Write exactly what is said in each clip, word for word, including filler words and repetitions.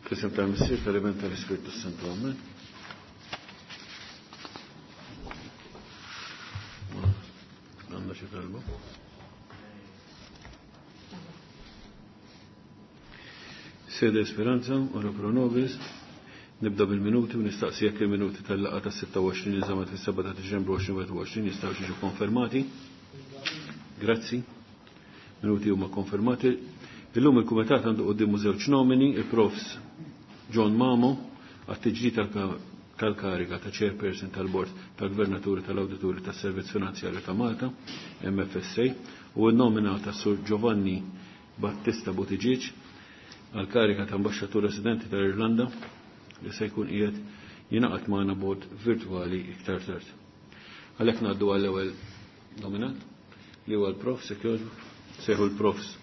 F'isem tal-Missier, tal-Iben, tal-Ispirtu Santu. Amen. Għandna xi talba? Sede Esperanza, ora pro nobis. Nibda bil-minuti u nistaqsi jekk il-minuti tal-laqgħa tas-sitta u għoxrin li żammet fis-seba' ta' Diċembru għoxrin wieħed u għoxrin jistgħu jiġu konfermati. Grazzi. Minuti huma konfermati. Illum il-Kumitat għandu quddiemu żewġ nomini, il-Profs John Mamo għat-tiġdid tal-kariga ta' Chairperson tal-Bord tal-Gvernaturi tal-Awdituri tas-Servizz Finanzjarju ta' Malta, M F S A, u n-nomina ta' Sur Giovanni Battista Buttigieg għal-kariga ta' Ambaxxatur Residenti tal-Irlanda li se jkun qiegħed jingħaqad magħna bord virtwali iktar tard. Għalhekk ngħaddu għall-ewwel nominat li huwa l-Prof sejħu l-Profs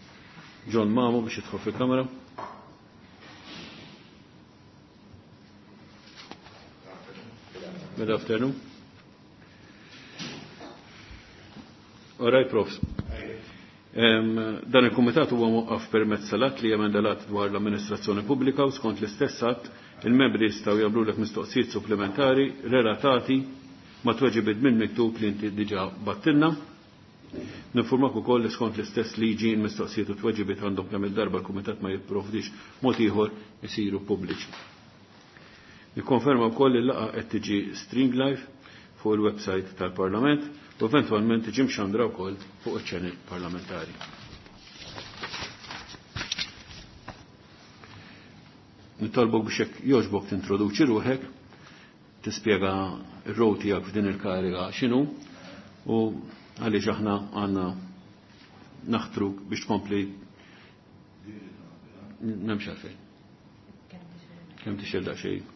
John Mamo biex jidħol fil-kamera. Good afternoon. All right, Profs. Em, dan il-Kumitat huwa mwaqqaf permezz tal-att li jemenda l-att dwar l-amministrazzjoni pubblika u skont l-istess att il-membri jistgħu jagħmlulek mistoqsijiet supplementari relatati ma' tweġibiet minn miktub li inti diġà battilna. Ninformak ukoll li skont l-istess liġi l-mistoqsijiet u tweġibiet għandhom kemm il-darba l-Kumitat ma jipprovdix mod ieħor isiru pubbliċi. Nikkonferma wkoll li l-laqgħa qed tiġi stream live fuq il-website tal-Parlament u eventwalment tiġi mxandra wkoll fuq iċ-channel parlamentari. Nitolbok biex hekk jogħġbok tintroduċi ruħek, tispjega r-rol tiegħek f'din il-kariga x'inhu u għaliex aħna għandna naħtruk biex tkompli m'hemmx għalfejn. Kemm tixel daqsxejn?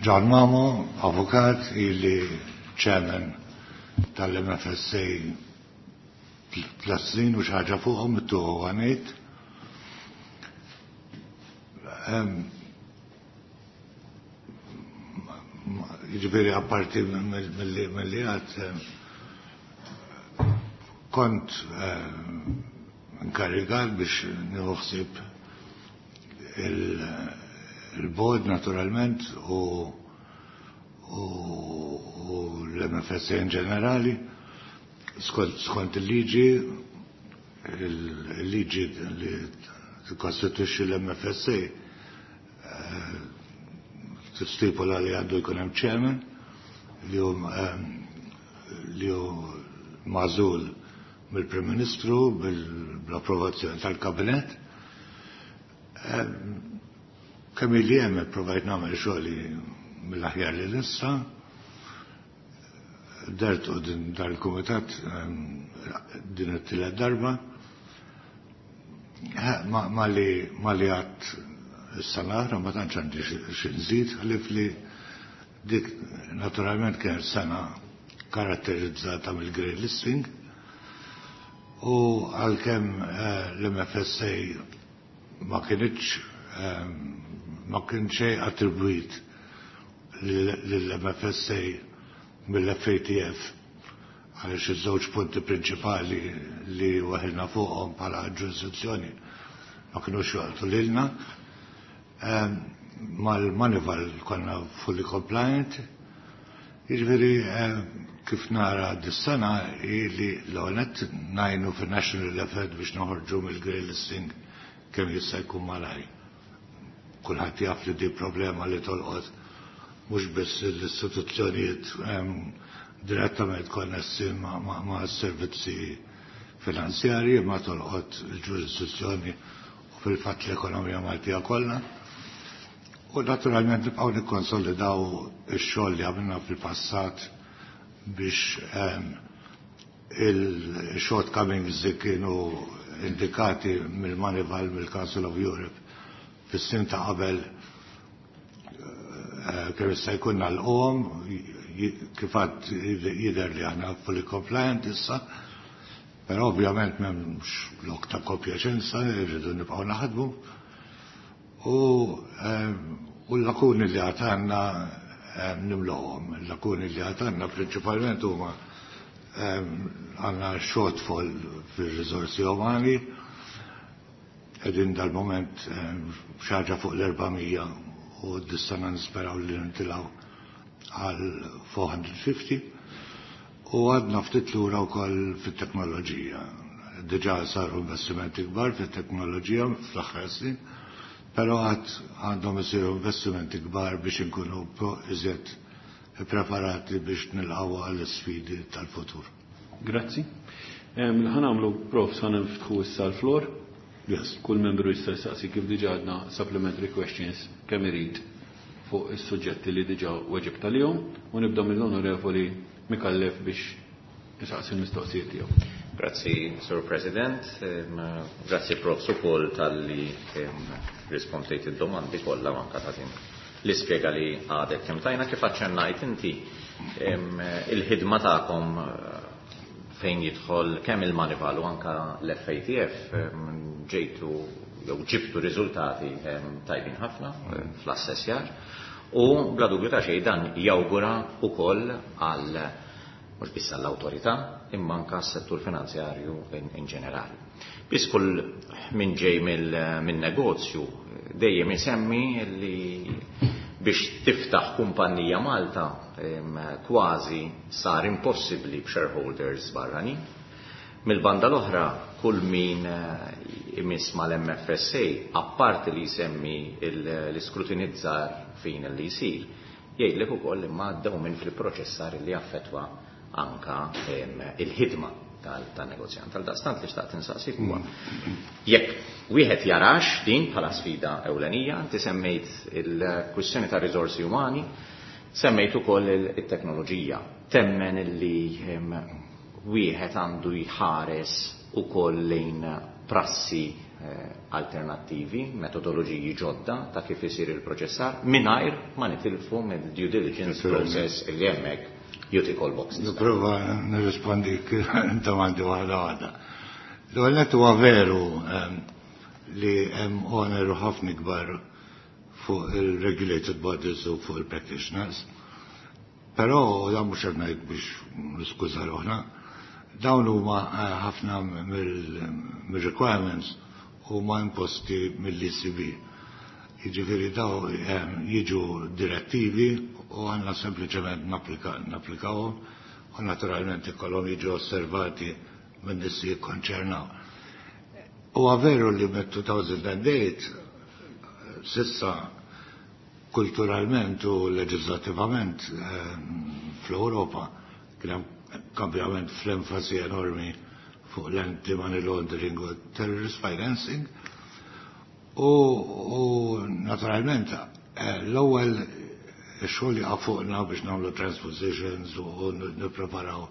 John Mamo, avukat, ili chairman tal-M F S A tliet snin u xi ħaġa fuqhom it-tuħu għanejt. Jiġifieri apparti mill-li għad kont inkarigat biex nieħu ħsieb il-board naturalment u, u, u l-M F S A in ġenerali skont, skont il-liġi, il-liġi li tikkostitwixxi l-M F S A, eh, tistipula li għandu jkun hemm chairman li hu, ehm, li hu magħżul mill-Prim Ministru bil-approvazzjoni tal-Kabinett. Ehm, kemm ili hemm ipprovajt nagħmel xogħli mill-aħjar li nista'. Dert u din dal-kumitat, ehm, din it-tielet darba. Ha, ma, ma li, ma li għadd is-sena oħra ma tantx għandi xi nżid, ħlief li dik naturalment kienet sena karatterizzata mill-grey listing u għalkemm, eh, l-M F S A ma kienx, ehm, ma kien xejn attribwit lill-M F S A mill-F A T F għaliex iż-żewġ punti prinċipali li waħilna fuqhom bħala ġurisdizzjoni ma kinux joqgħodu lilna. Ehm, mal-Moneyval konna fully compliant. Jiġifieri, ehm, kif nara dis-sena hi li l-ewwel nett ngħinu fin-national effort biex noħorġu mill-grey listing kemm jista' jkun malajr. Kulħadd jaf li di problema li tolqot mhux biss l-istituzzjonijiet, ehm, direttament konnessi ma', ma', ma' servizzi finanzjarji, ma tolqot il-ġurisdizzjoni u fil-fatt l-ekonomija Maltija kollha. U naturalment nibqgħu nikkonsolidaw ix-xogħol li għamilna fil-passat biex, ehm, il-shortcomings li kienu indikati mill-Moneyval, mill-Council of Europe fis-snin ta' qabel, eh, kemm jista' jkun nagħlquhom, kif għad jidher li aħna fully compliant issa, però ovvjament m'hemmx lok ta' kompjaċenza, irridu nibqgħu naħdmu. U, ehm, u l-lakuni li għad għandna, ehm, nimlowhom. Il-lakuni li għad għandna prinċipalment huma Għandna shortfall fil-rizorsi umani, qegħdin dal-moment xi ħaġa fuq l-erba' mija u dis-sena nisperaw li nitilgħu għal four hundred fifty u għadna ftit lura wkoll fit-teknoloġija. Diġà saru investimenti kbar fit-teknoloġija fl-aħħar snin, però għad għandhom isiru investimenti kbar biex inkunu iżjed preparati biex nilqgħu għall-sfidi tal-futur. Grazzi. Ħa nagħmlu, Prof, ħa niftħu issa l-floor. Yes. Kull membru jista' jsaqsi, kif diġà għadna, supplementary questions kemm irid fuq is-suġġetti li diġà weġibt għalihom u nibda mill-Onorevoli Micallef biex jisaqsi l-mistoqsijiet tiegħu. Grazzi, Sir President. Grazzi, Prof ukoll talli rispondejt id-domandi kollha, anka ta' din l-ispjega li għadek kemm tajna. Kif aċċennajt inti, il-ħidma tagħkom eh, fejn jidħol kemm il-Moneyval u anka l-F A T F, ġejtu jew ġibtu riżultati tajbin ħafna eh, fl-assessjar u bla dubju ta' xejn dan jawgura ukoll għal mhux biss għall-awtorità imma anka s-settur finanzjarju in, in ġenerali. Biss kull min ġej mill-negozju dejjem isemmi li biex tiftaħ kumpanija Malta kważi sar impossibbli b'shareholders barrani. Mill-banda l-oħra, kull min eh, imiss mal-M F S A, apparti li jsemmi l-iskrutinizzar fin li jsir, jgħidlek ukoll imma għaddew minn fil-proċessar li affettwa anka il-ħidma tal-negozjant. Għal-daqstant li xtaqt insaqsik huwa jekk wieħed jarax din bħala sfida ewlenija. Inti semmejt il-kwistjoni ta' riżorsi umani, semmejt ukoll it-teknoloġija. Temmen illi wieħed għandu jħares ukoll lejn prassi eh, alternattivi, metodoloġiji ġodda ta' kif isir il-proċessar, mingħajr ma nitilfu mill-due diligence process illi hemmhekk you tick all boxes? Nipprova nirrispondi domandi waħda waħda. L-ewwel huwa veru li hemm oneru ħafna kbar fuq il-regulated bodies u fuq il-practitioners. Però dan mhux qed ngħid biex niskuża ruħna, dawn huma eh, ħafna mill-requirements huma imposti mill-E C B. Jiġifieri daw jiġu direttivi u għandna sempliċement napplikawhom u naturalment ikollhom jiġu osservati minn nies li jikkonċernaw. U veru li mit-elfejn u tmienja s'issa kulturalment u leġislativament fl-Europa kien hemm kambjament fl-enfasi enormi fuq l-anti-money laundering u terrorist financing. U, u naturalment eh, l-ewwel xogħol jaqa' fuqna biex nagħmlu transpositions u nippreparaw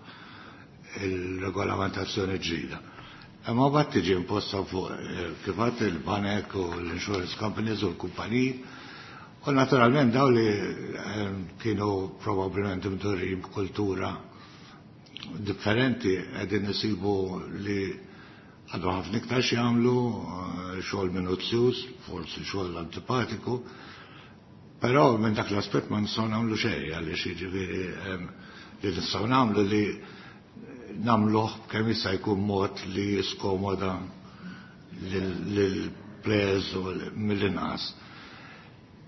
il-regolamentazzjoni ġdida. Imma mbagħad tiġi imposta fuq eh, kif il-banek u l-insurance companies u l-kumpaniji. U naturalment daw li eh, kienu probabbilment imdorrijin b'kultura differenti qegħdin isibu li għadu ħafna iktar x'jagħmlu, eh, xogħol minuzzjuż, forsi xogħol antipatiku, però minn dak l-aspett ma nistgħu nagħmlu xejn, għaliex jiġifieri li nistgħu nagħmlu li nagħmluh kemm jista' jkun mod li jiskomoda lill-players u mill-inqas.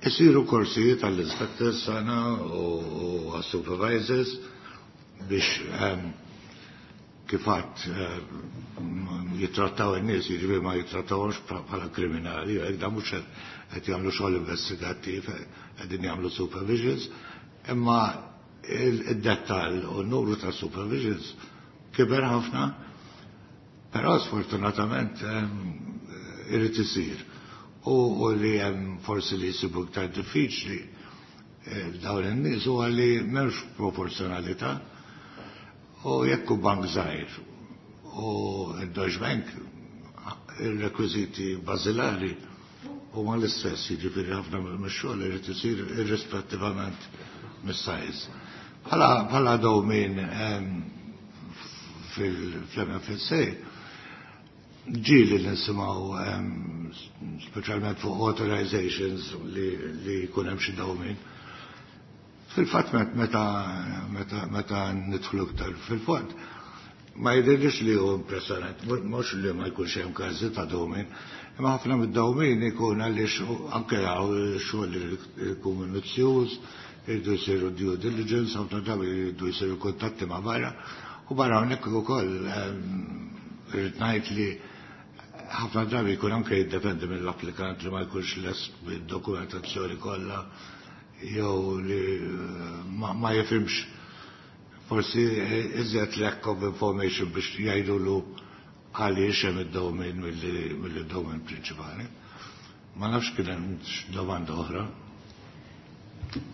Isiru korsijiet għall-inspectors sana u għas-supervisors biex kif għedt jitrattaw in-nies, jiġifieri ma jitrattawhomx bħala kriminali, hekk da mhux qed jagħmlu xogħol investigattiv, qegħdin jagħmlu supervisions, imma id-dettall u n-numru ta' supervisions kiber ħafna, però sfortunatament irid isir. U li hemm forsi li jsibu iktar diffiċli eh, dawn in-nies huwa li m'hemmx proporzjonalità u jekk hu bank żgħir u d-Deutsche Bank, il-rekwiżiti bażilari huma l-istess, jiġifieri ħafna mix-xogħol irid isir irrispettivament mis-size. Bħala dewmien fil-M F S A ġieli nisimgħu, speċjalment fuq authorizations, li li jkun hemm xi dewmien. Fil-fatt meta meta meta nidħlu iktar fil-fond, Ma jidhirlix li hu impressjonant, mhux li ma jkunx hemm każi ta' dewmien, imma ħafna mid-dewmien ikun għaliex anke hawn xogħol li jkun minuzzjuż, jridu jsiru due diligence, ħafna drabi jridu jsiru kuntatti ma' barra, u barra hawnhekk ukoll irrid ngħid li ħafna drabi jkun anke jiddependi mill-applikant li ma jkunx lest bid-dokumentazzjoni kollha jew li ma jifhimx forsi iżjed lack of information biex jgħidulu għaliex hemm id-dewmien milli d-dewmien prinċipali. Ma nafx kien hemm domanda oħra.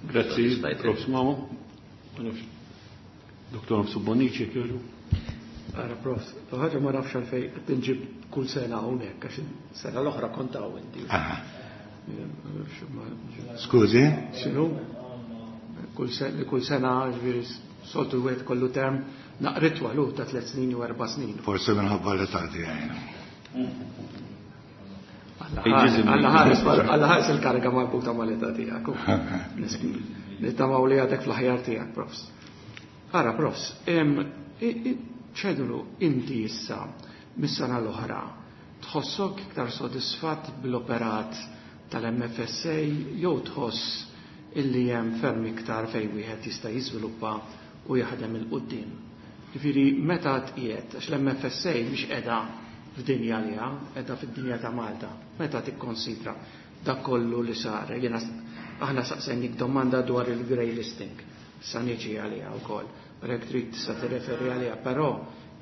Grazzi, Profs Mamo. Doktor Bonnici, kjoġu. Ara, Profs, ħaġa ma nafx għalfejn qed tinġib kull sena hawnhekk, għax sena l-oħra kont hawn inti. Skużi? X'inhu? Kull sena, ġifieri soltu wieħed kollu term naqritwa lu ta' tliet snin u erba' snin. Forsi minħabba l-età tiegħi. Alla ħares il-kariga marbuta mal-età tiegħek. Nittamaw li għadek fl-aħjar tiegħek, Profs. Ara, Profs, ċedulu inti issa mis-sena l-oħra tħossok iktar sodisfatt bil-operat tal-M F S A jew tħoss illi hemm ferm iktar fejn wieħed jista' jiżviluppa u jaħdem 'il quddiem? Ġifieri meta tqiegħed, għax l-M F S A mhix qiegħda f'dinja liha, qiegħda fid-dinja ta' Malta. Meta tikkonsidra dak kollu li sar, jiena aħna saqsejnik domanda dwar il-grey listing, sa niġi għaliha wkoll, jekk trid tista' tirreferi għaliha, però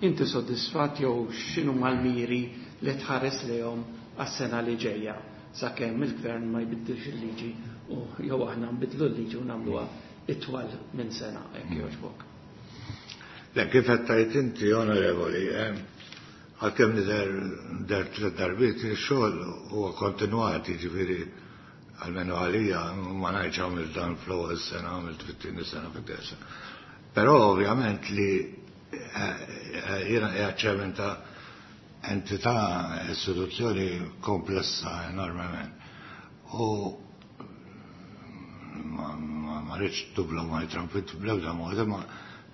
inti soddisfatt jew x'inhu mal-miri li tħares lejhom għas-sena li ġejja sakemm il-gvern ma jbiddilx il-liġi u jew aħna nbidlu l-liġi u nagħmluha itwal minn sena, hekk jogħġbok? Le, kif qed tgħid inti, onorevoli, għalkemm nidher der tliet darbiet, ix-xogħol huwa kontinwat, jiġifieri almenu għalija ma ngħidx għamilt dan fl-ewwel sena, għamilt fit-tieni sena, fit-tieni sena. Però ovvjament li jiena qiegħed chairman ta' entità, istituzzjoni komplessa enormement. U ma rridx to blow my trumpet bl-ebda mod, ma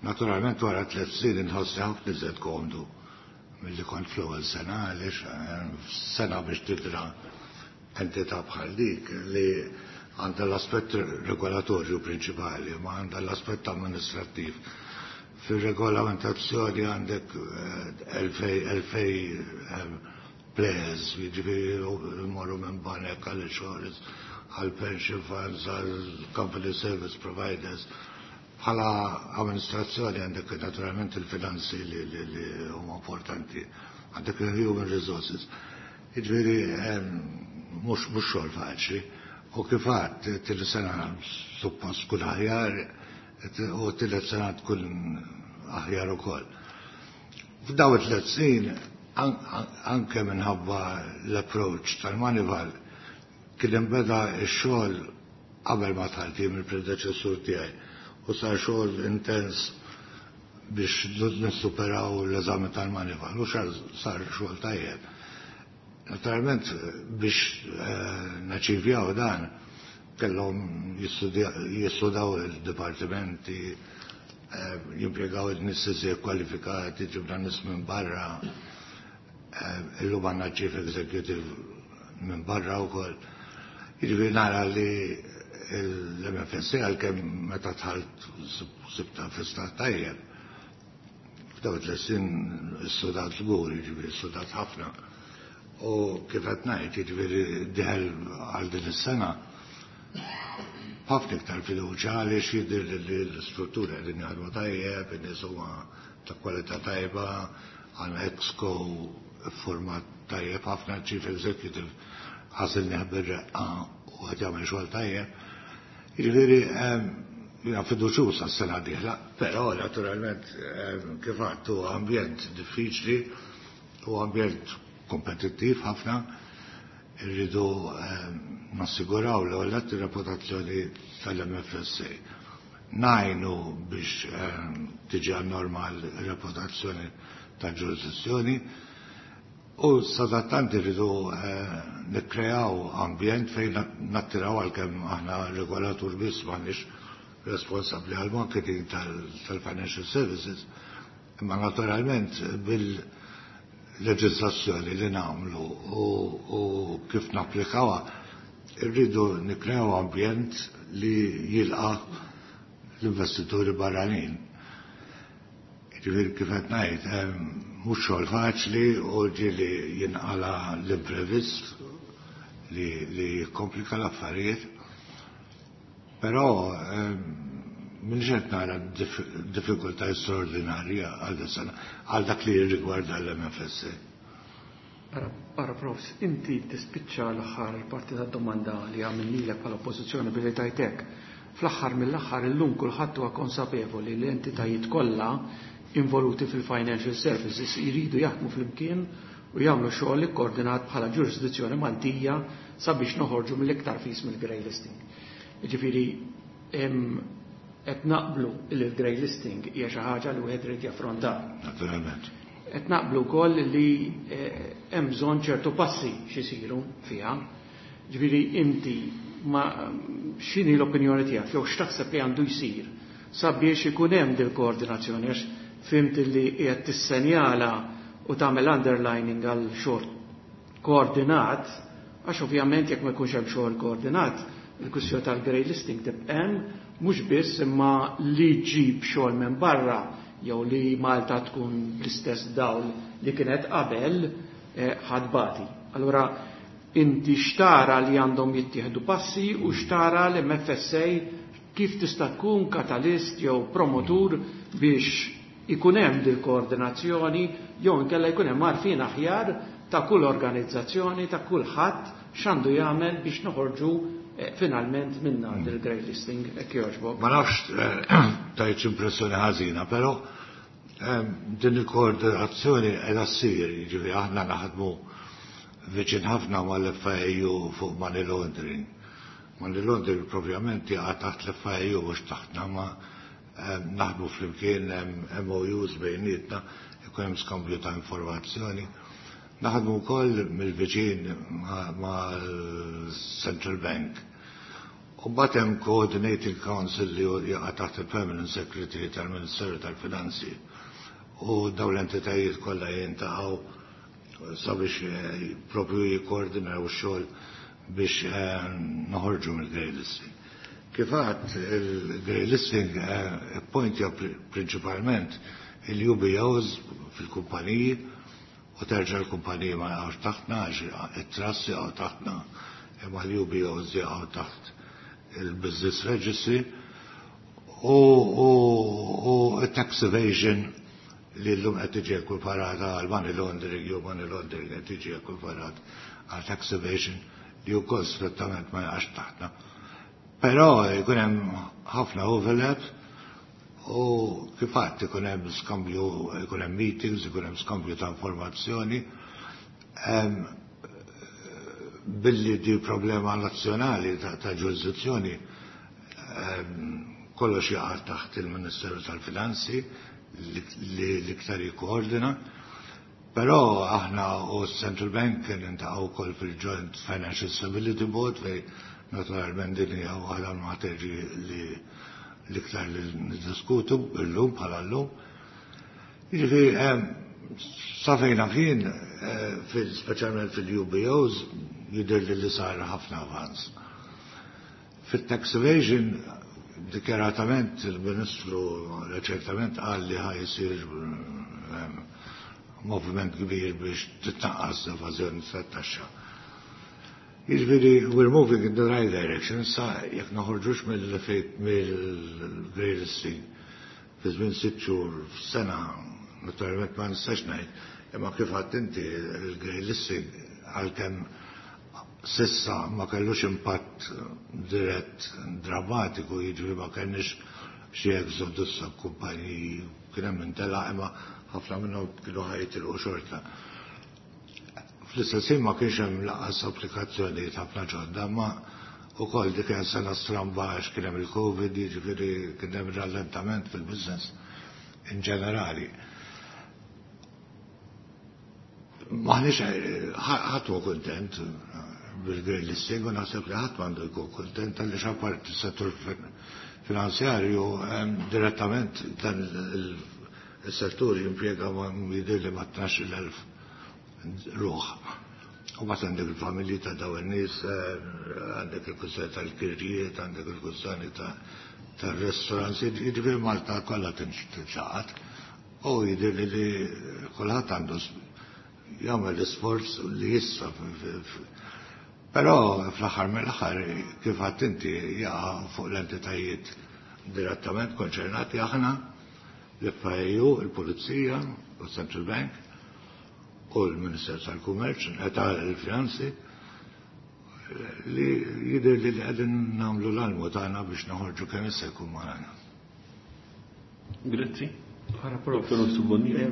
naturalment wara tliet snin inħossi ħafna iżjed komdu milli kont fl-ewwel sena, għaliex sena biex tidra entità bħal dik li għandha l-aspett regolatorju prinċipali, ma għandha l-aspett amministrattiv. Fil-regolamentazzjoni għandek elfejn elfejn players, jiġifieri morru minn banek għal insurance, għal pension funds, għal company service providers. Bħala amministrazzjoni għandek naturalment il-finanzi li, li, li huma importanti, għandek il-human resources. Jiġifieri mhux mhux xogħol faċli. U kif għedt, tieni sena suppost tkun aħjar u tielet sena tkun aħjar ukoll. F'daw it-tliet snin, anke minħabba l-approach tal-Moneyval, kien inbeda x-xogħol qabel ma dħalt mill-predeċessur tiegħi u sar xogħol intens biex nissuperaw l-eżami tal-Moneyval u sar xogħol tajjeb. Naturalment biex naċivjaw dan kellhom jistudaw il-dipartimenti, jimpjegaw il-nies iżjed kwalifikati, ġibna nies minn barra, illum għandna chief executive minn barra wkoll. Jiġifieri nara li l-M F S A, għalkemm meta dħalt sibta fi stat tajjeb, f'daw tliet snin issodat żgur, jiġifieri issodat ħafna. U kif qed ngħid, jiġifieri dieħel għal din is-sena ħafna iktar fiduċja għaliex jidher li l-struttura qegħdin jaħdmu tajjeb, in-nies huma ta' kwalità tajba, għandna exco format tajjeb ħafna, chief executive għażilnieh bir-reqqa u qed jagħmel xogħol tajjeb. Jiġifieri jiena fiduċjuż għas-sena dieħla, però naturalment, kif għedt, huwa ambjent diffiċli, u ambjent kompetittiv ħafna, irridu nassiguraw l ewwel reputazzjoni tal-M F S A. Ngħinu biex tiġi normal reputazzjoni tal-ġurisdizzjoni u sadattant irridu nikkreaw ambjent fejn nattiraw, għalkemm aħna regolatur biss, m'aħniex responsabbli għal marketing tal-financial services. Imma naturalment bil-leġiżlazzjoni li nagħmlu u, u kif napplikawha irridu nikrew ambjent li jilqa' l-investituri barranin. Ġifieri kif qed ngħid, mhux xogħol faċli u ġieli jinqala l-imprevist li, li jikkomplika l-affarijiet. Però m'iniex qed nara diffikultà straordinarja għal sena għal dak li jirrigwarda l-M F S A. Ara, ara Profs, inti tispiċċa l-aħħar parti tad-domanda li għamilnilek bħala oppożizzjoni billi tajtek. Fl-aħħar mill-aħħar, illum kulħadd huwa konsapevoli li l-entitajiet kollha involuti fil-financial services jridu jaħdmu flimkien u jagħmlu xogħol ikkoordinat bħala ġurisdizzjoni Maltija sabiex noħorġu mill-iktar fis mill-grey listing. Jiġifieri qed naqblu li l-grey listing hija xi ħaġa li wieħed irid jaffronta. Naturalment. Qed naqblu wkoll li eh, hemm bżonn ċertu passi x'isiru fiha. Ġifieri inti ma x'inhi l-opinjoni tiegħek jew x'taħseb li għandu jsir sabiex ikun hemm dil koordinazzjoni, għax fhimt li qiegħed tissenjala u tagħmel underlining għal xogħol koordinat, għax ovvjament jekk ma jkunx hemm xogħol koordinat, il-kwistjoni tal-grey listing tibqa' hemm, mhux biss imma li ġib xogħol minn barra jew li Malta tkun bl-istess dawl li kienet qabel eh, ħadbati. Allura inti xtara li għandhom jittieħdu passi u xtara l-M F S A kif tista' tkun katalist jew promotur biex ikun hemm dil koordinazzjoni jew inkella jkun hemm għarfien aħjar ta' kull organizzazzjoni, ta' kulħadd x'għandu jagħmel biex noħorġu eh, finalment minna dil grey listing, hekk jogħġbok. Ma nafx eh, tajtx impressjoni ħażina, però eh, din il-koordinazzjoni qiegħda ssir, jiġifieri aħna naħdmu viċin ħafna mal-F I U fuq money laundering. Money laundering propjament jaqa' taħt l-F I U, mhux taħtna, ma naħdmu flimkien, M O Us bejnietna, ikun hemm skambju ta' informazzjoni. Naħdmu wkoll mill-viċin mal-Central Bank. U mbagħad hemm Coordinating Council li jaqa' taħt il-Permanent Secretary tal-Ministeru tal-Finanzi. U dawn l-entitajiet kollha jiltaqgħu sabiex eh, propju jikkoordinaw x-xogħol biex eh, noħorġu mill-grey listing. Kif għedt, il-grey listing eh, pointja prinċipalment il-U B Os fil-kumpaniji u terġa' l-kumpaniji ma jaqgħux taħtna għax it-trust jaqgħu taħtna, imma l-U B Os jaqgħu taħt il-Business Registry u, u, u tax evasion li l-lum qed tiġi ekwiparata għal money laundering jew money laundering qed tiġi ekwiparat għal tax evasion, li wkoll strettament ma jaqax taħtna. Però jkun hemm ħafna overlap u kif għedt ikun hemm skambju, ikun hemm meetings, ikun hemm skambju ta' informazzjoni. Billi di problema nazzjonali ta', ta ġurisdizzjoni, kollox jaqa' taħt il-Ministeru tal-Finanzi li l-iktar jikkoordina. Però aħna u Central Bank niltaqgħu wkoll fil-Joint Financial Stability Board, fej naturalment din hija waħda l-materji li l-iktar li niddiskutu illum bħala llum. Jiġifieri sa fejn kien fil speċjalment fil-U B Os jidher li li sar ħafna avanz. Fit-tax evasion, dikjaratament il-Ministru reċentament qal li ħa jsir moviment kbir biex titnaqqas l-evażjoni tat-taxxa. Jiġifieri, we're moving in the right direction, sa jekk noħorġux mill-grey listing fi żmien sitt xhur, f'sena, naturalment ma nistax ngħid, imma kif għedt inti, il-grey listing għalkemm s'issa ma kellux impatt dirett drammatiku, jiġifieri ma kellniex xi exodus ta' kumpaniji, kien hemm intela imma ħafna minnhom kienu ħa jitilqu xorta. Fl-istess ma kienx hemm lanqas applikazzjonijiet ħafna ġodda, ma wkoll dik kien sena stramba għax kien hemm il-Covid, jiġifieri kien hemm rallentament fil-business in ġenerali. Maħniex, ħadd hu kuntent bil-grey listing u naħseb li ħadd m'għandu jkun kuntent għaliex apparti settur finanzjarju direttament dan Is-settur jimpjega ma jidher li ma tnax-il elf ruħ. U mbagħad għandek il-familji ta' dawn in-nies, għandek il-kwistjoni tal-kirjiet, għandek il-kwistjoni tar-restaurants, jiġifieri Malta kollha tinxaqat. U jidher li li kulħadd għandu jagħmel l-isforz li jista'. Però fl-aħħar mill-aħħar, kif għedt inti, jaqa' fuq l-entitajiet direttament konċernati, aħna, l-F I U, il-Pulizija, u Central Bank, u l-Ministeru tal-Kummerċ, tal-Finanzi, li jidher li qegħdin nagħmlu l-almu tagħna biex noħorġu kemm jista' jkun magħna. Grazzi. Ara, Prof. Doktor Subonnici.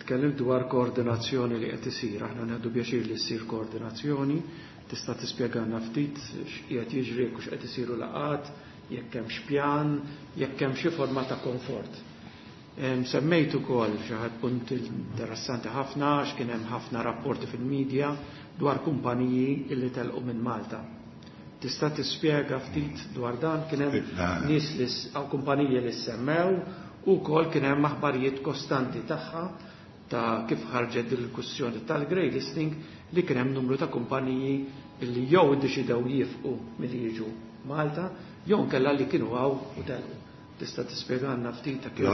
Tkellimt dwar koordinazzjoni li qed isir, aħna nieħdu pjaċir li ssir koordinazzjoni, tista' tispjegana ftit x'qiegħed jiġri, jekk hux qed isiru laqgħat, jekk hemm pjan, jekk hemm xi forma ta' konfort. Semmejt ukoll xi ħadd punt interessanti ħafna, għax kien hemm ħafna rapporti fil-medja dwar kumpaniji illi telqu minn Malta. Tista' tispjega ftit dwar dan? Kien hemm nies li aw kumpaniji li semmew u wkoll kien hemm aħbarijiet kostanti tagħha ta' kif ħarġet il-kwistjoni tal-grey listing, li kien hemm numru ta' kumpaniji illi jew iddeċidew jifqu milli jiġu Malta jew nkella li kienu hawn u telqu. Tista' tispjegana ftit ta' kif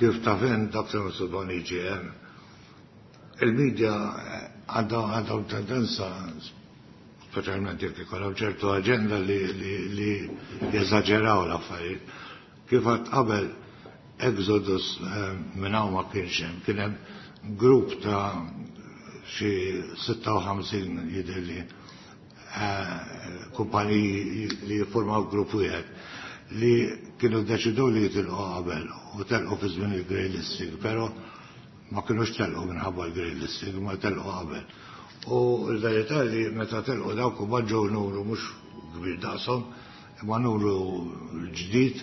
Kif taf int, Doktor Bonnici, il-medja għandhom tendenza, speċjalment jekk ikollhom ċertu aġenda, li, li, li jeżaġeraw l-affarijiet. Kif għedt qabel, exodus eh, minn hawn ma kienx hemm, kien hemm grupp ta' xi sitta u ħamsin, jidhirli, eh, kumpaniji li jiffurmaw grupp wieħed li kienu deċidu li jitilqu qabel u telqu fi żmien il-grey listing, però ma kienux telqu minħabba l-grey listing, ma telqu qabel. U l-verità li meta telqu dawk u ġew numru mhux kbir daqshom, imma numru ġdid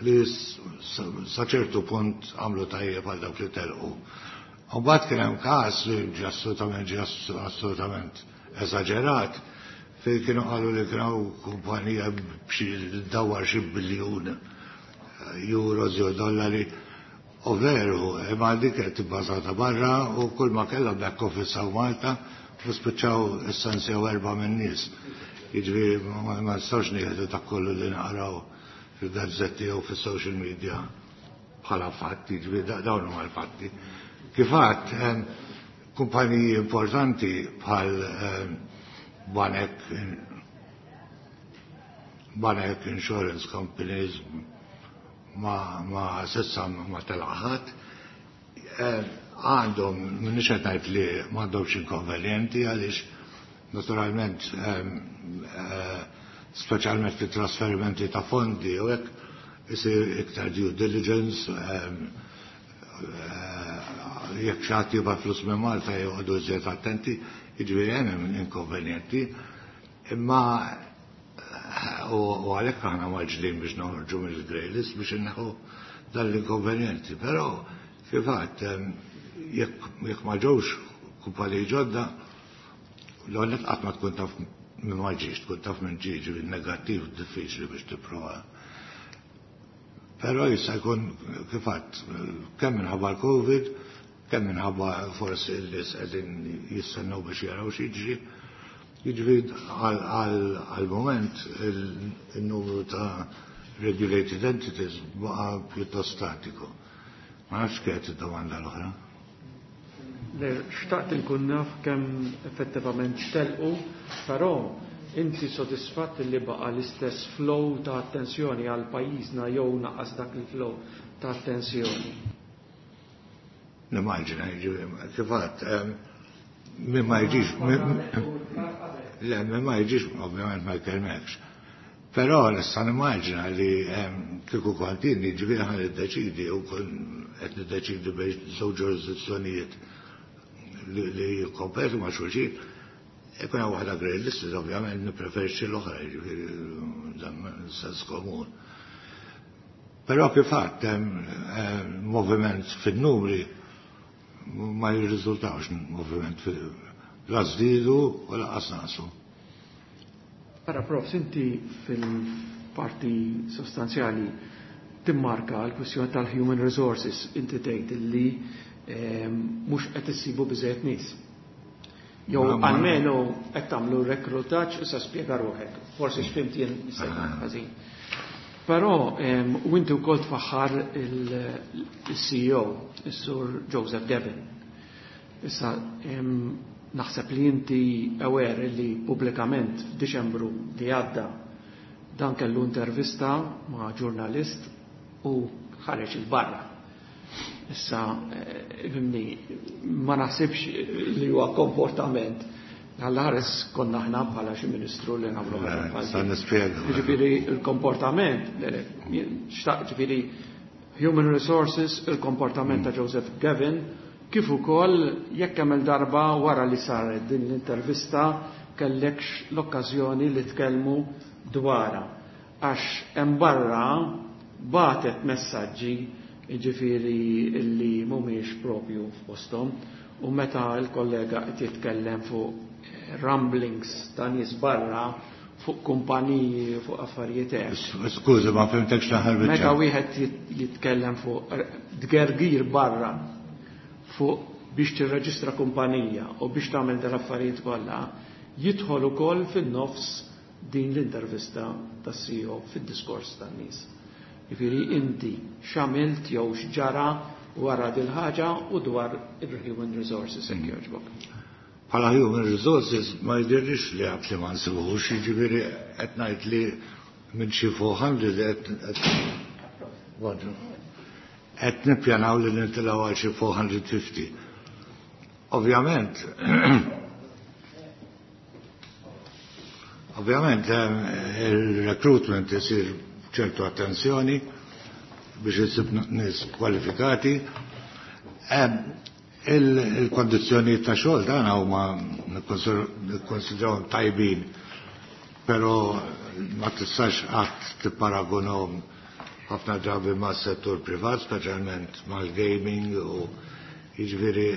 li sa ċertu punt għamlu tajjeb għal dawk li telqu. U mbagħad kien hemm każ li ġi assolutament ġi assolutament eżaġerat, fejn kienu qalu li kienu kumpanija b'xi dawar xi biljun euros jew dollari. U veru, imma dik qed ibbażata barra u kull ma kellha back office hawn Malta u spiċċaw essenzjaw erba' minn nies. Jiġifieri ma nistgħux nieħdu ta' kollu li naqraw fil-gazzetti jew fis-social media bħala fatti, jiġifieri dawn huma l-fatti. Kif għedt, kumpaniji importanti bħal banek banek, insurance companies, ma, ma s'issa ma telaq ħadd, għandhom, m'iniex qed ngħid li m'għandhomx inkonvenjenti, għaliex naturalment, speċjalment fit trasferimenti ta' fondi u hekk, isir iktar due diligence, jekk xi ħadd jibgħat flus minn Malta joqogħdu iżjed attenti, jiġifieri hemm inkonvenjenti. Imma u għalhekk aħna mgħaġġlin biex noħorġu mill-grey list biex inneħu dan l-inkonvenjenti. Però kif għedt, jekk ma ġewx kumpaniji ġodda, l-għonet qatt ma tkun taf minn ma ġiex, tkun taf minn ġie, ġifieri negattiv diffiċli biex tipprova. Però jista' jkun, kif għedt, kemm minħabba l-Covid, kemm minħabba forsi l-nies qegħdin jistennew biex jaraw x'jiġri. Jiġifieri għal-moment il-numru ta' regulated entities baqa' pjuttost statiku. Ma nafx kienet id-domanda l-oħra. Le, xtaqt inkun naf kemm effettivament telqu, però inti sodisfatt li baqa l-istess flow ta' attenzjoni għal pajjiżna jew naqas dak il-flow ta' attenzjoni? Nimmaġina, jiġifieri, kif għedt, min ma jiġix, le, min ma jiġix, ovvjament ma jkellmekx. Però nista' nimmaġina li kieku kont jien, jiġifieri ħa niddeċidi u kun qed niddeċidi bejn żewġ ġurisdizzjonijiet li jikkompetu ma' xulxin, ikun hemm waħda grey listed, ovvjament nippreferixxi l-oħra, jiġifieri dan sens komun. Però kif għedt, moviment fin-numri ma jirriżultawx moviment la żdiedu u lanqas naqsu. Ara, Prof, inti fil-parti sostanzjali Timmarka l-kwistjoni tal-human resources, inti tgħid li mhux qed issibu biżejjed nies. Jew almenu qed tagħmlu rekrutaġġ, issa spjega ruħek. Forsi x'fimt jien jista' jkun ħażin. Però u inti wkoll tfaħħar il-C E O, is-Sur Joseph Gavin. Issa naħseb li inti aware li pubblikament f'Diċembru li għadda dan kellu intervista ma' ġurnalist u ħareġ il-barra. Issa, fhimni, ma naħsibx li huwa komportament għall-ħares konna ħna bħala xi ministru li nagħmlu ħaġa bħal Sa din. Nispjega. Ġifieri il-komportament, xtaq ġifieri human resources, il-komportament ta' Joseph Gavin, kif ukoll jekk hemm darba wara li saret din l-intervista kellekx l-okkażjoni li tkellmu dwarha. Għax hemm barra batet messaġġi, ġifieri, illi mhumiex propju f'posthom u meta l-kollega qed jitkellem fuq rumblings ta' nies barra fuq kumpaniji, fuq affarijiet hekk. Skużi, ma fhimtekx l-aħħar Meta biċċa. Wieħed jit- jitkellem fuq tgergir barra fuq biex tirreġistra kumpanija u biex tagħmel dal-affarijiet kollha, jidħol ukoll fin-nofs din l-intervista tas-C E O fid-diskors tan-nies. Jiġifieri inti x'għamilt jew x'ġara wara dil ħaġa u dwar il-human resources, jekk jogħġbok. Bħala human resources ma jdirrix li għab li ma nsibuħux, jiġifieri qed ngħid li minn xi erba' mija qed qed nippjanaw li nitilgħu għal xi erba' mija u ħamsin. Ovvjament, ovvjament eh, il-recruitment isir ċertu attenzjoni biex isib nies kwalifikati. Em, Il-kondizzjoni ta' xogħol dan huma nikkonsidrawhom tajbin, però ma tistax qatt tipparagunhom ħafna drabi ma' settur privat, speċjalment mal-gaming, u jiġifieri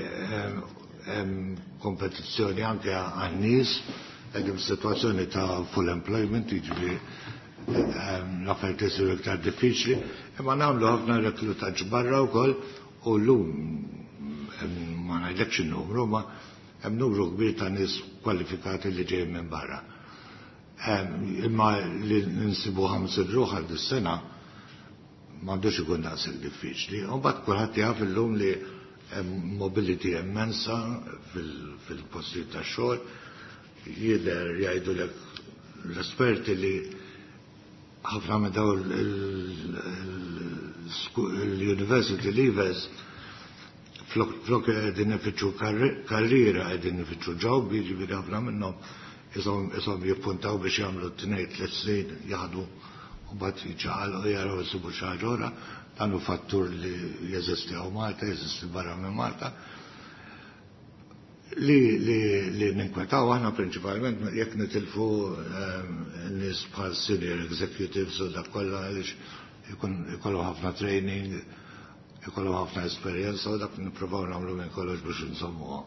hemm kompetizzjoni anke għan-nies, qegħdin f'sitwazzjoni ta' full employment, jiġifieri l-affarijiet isiru iktar diffiċli, imma nagħmlu ħafna reklutaġġ barra wkoll u llum ma ngħidlekx in-numru, ma hemm numru kbir ta' nies kwalifikati li ġejjin minn barra. Imma li nsibu ħamsin ruħ għal dis-sena m'għandux ikun daqshekk diffiċli. U mbagħad kulħadd jaf illum li hemm mobility immensa fil-postijiet tax-xogħol. Jidher jgħidulek l-esperti li ħafna minn dawn l-university leavers flok qegħdin ifittxu karriera qegħdin ifittxu job, jiġifieri ħafna minnhom ishom jippuntaw biex jagħmlu tnejn tliet snin jaħdmu u mbagħad jiċċaqalqu jaraw isibu xi ħaġa oħra. Dan hu fattur li jeżisti hawn Malta, jeżisti barra minn Malta. Li, li, li ninkwetaw aħna prinċipalment jekk nitilfu nies bħal senior executives u dak kollha, għaliex ikollu ħafna training, ikollu ħafna esperjenza u dak nippruvaw nagħmlu minn kollox biex insommuha.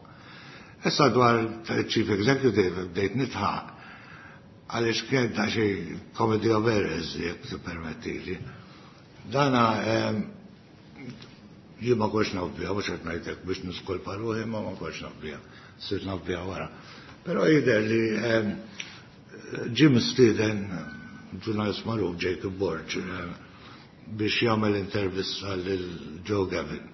Issa dwar Chief Executive bdejt nidħaq għaliex kien ta' xi comedy of errors, jekk tippermettili. Dana jien ma kontx naf biha, mhux qed ngħidlek biex niskolpa ruħi, ma ma kontx naf biha, sirt naf biha wara. Però jidher li ġie mistieden ġurnalist magħruf, Jacob Borg, biex jagħmel intervista lil Joe Gavin.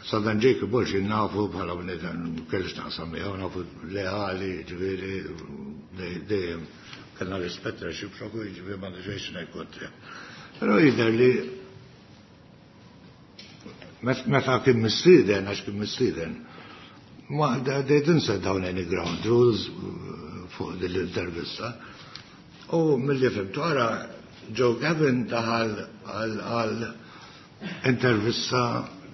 Sa dan Jacob Borg nafu bħala bniedem, kellix naqsam miegħu, nafu leali, ġifieri dejjem kellna rispett reċiproku, ġifieri ma nixejx ngħid kontra. Però jidher li meta kien mistieden, għax kien mistieden, ma they didn't set down any ground rules fuq din l-intervista. U mill-li fhimtu ara Joe Gavin daħal għal intervista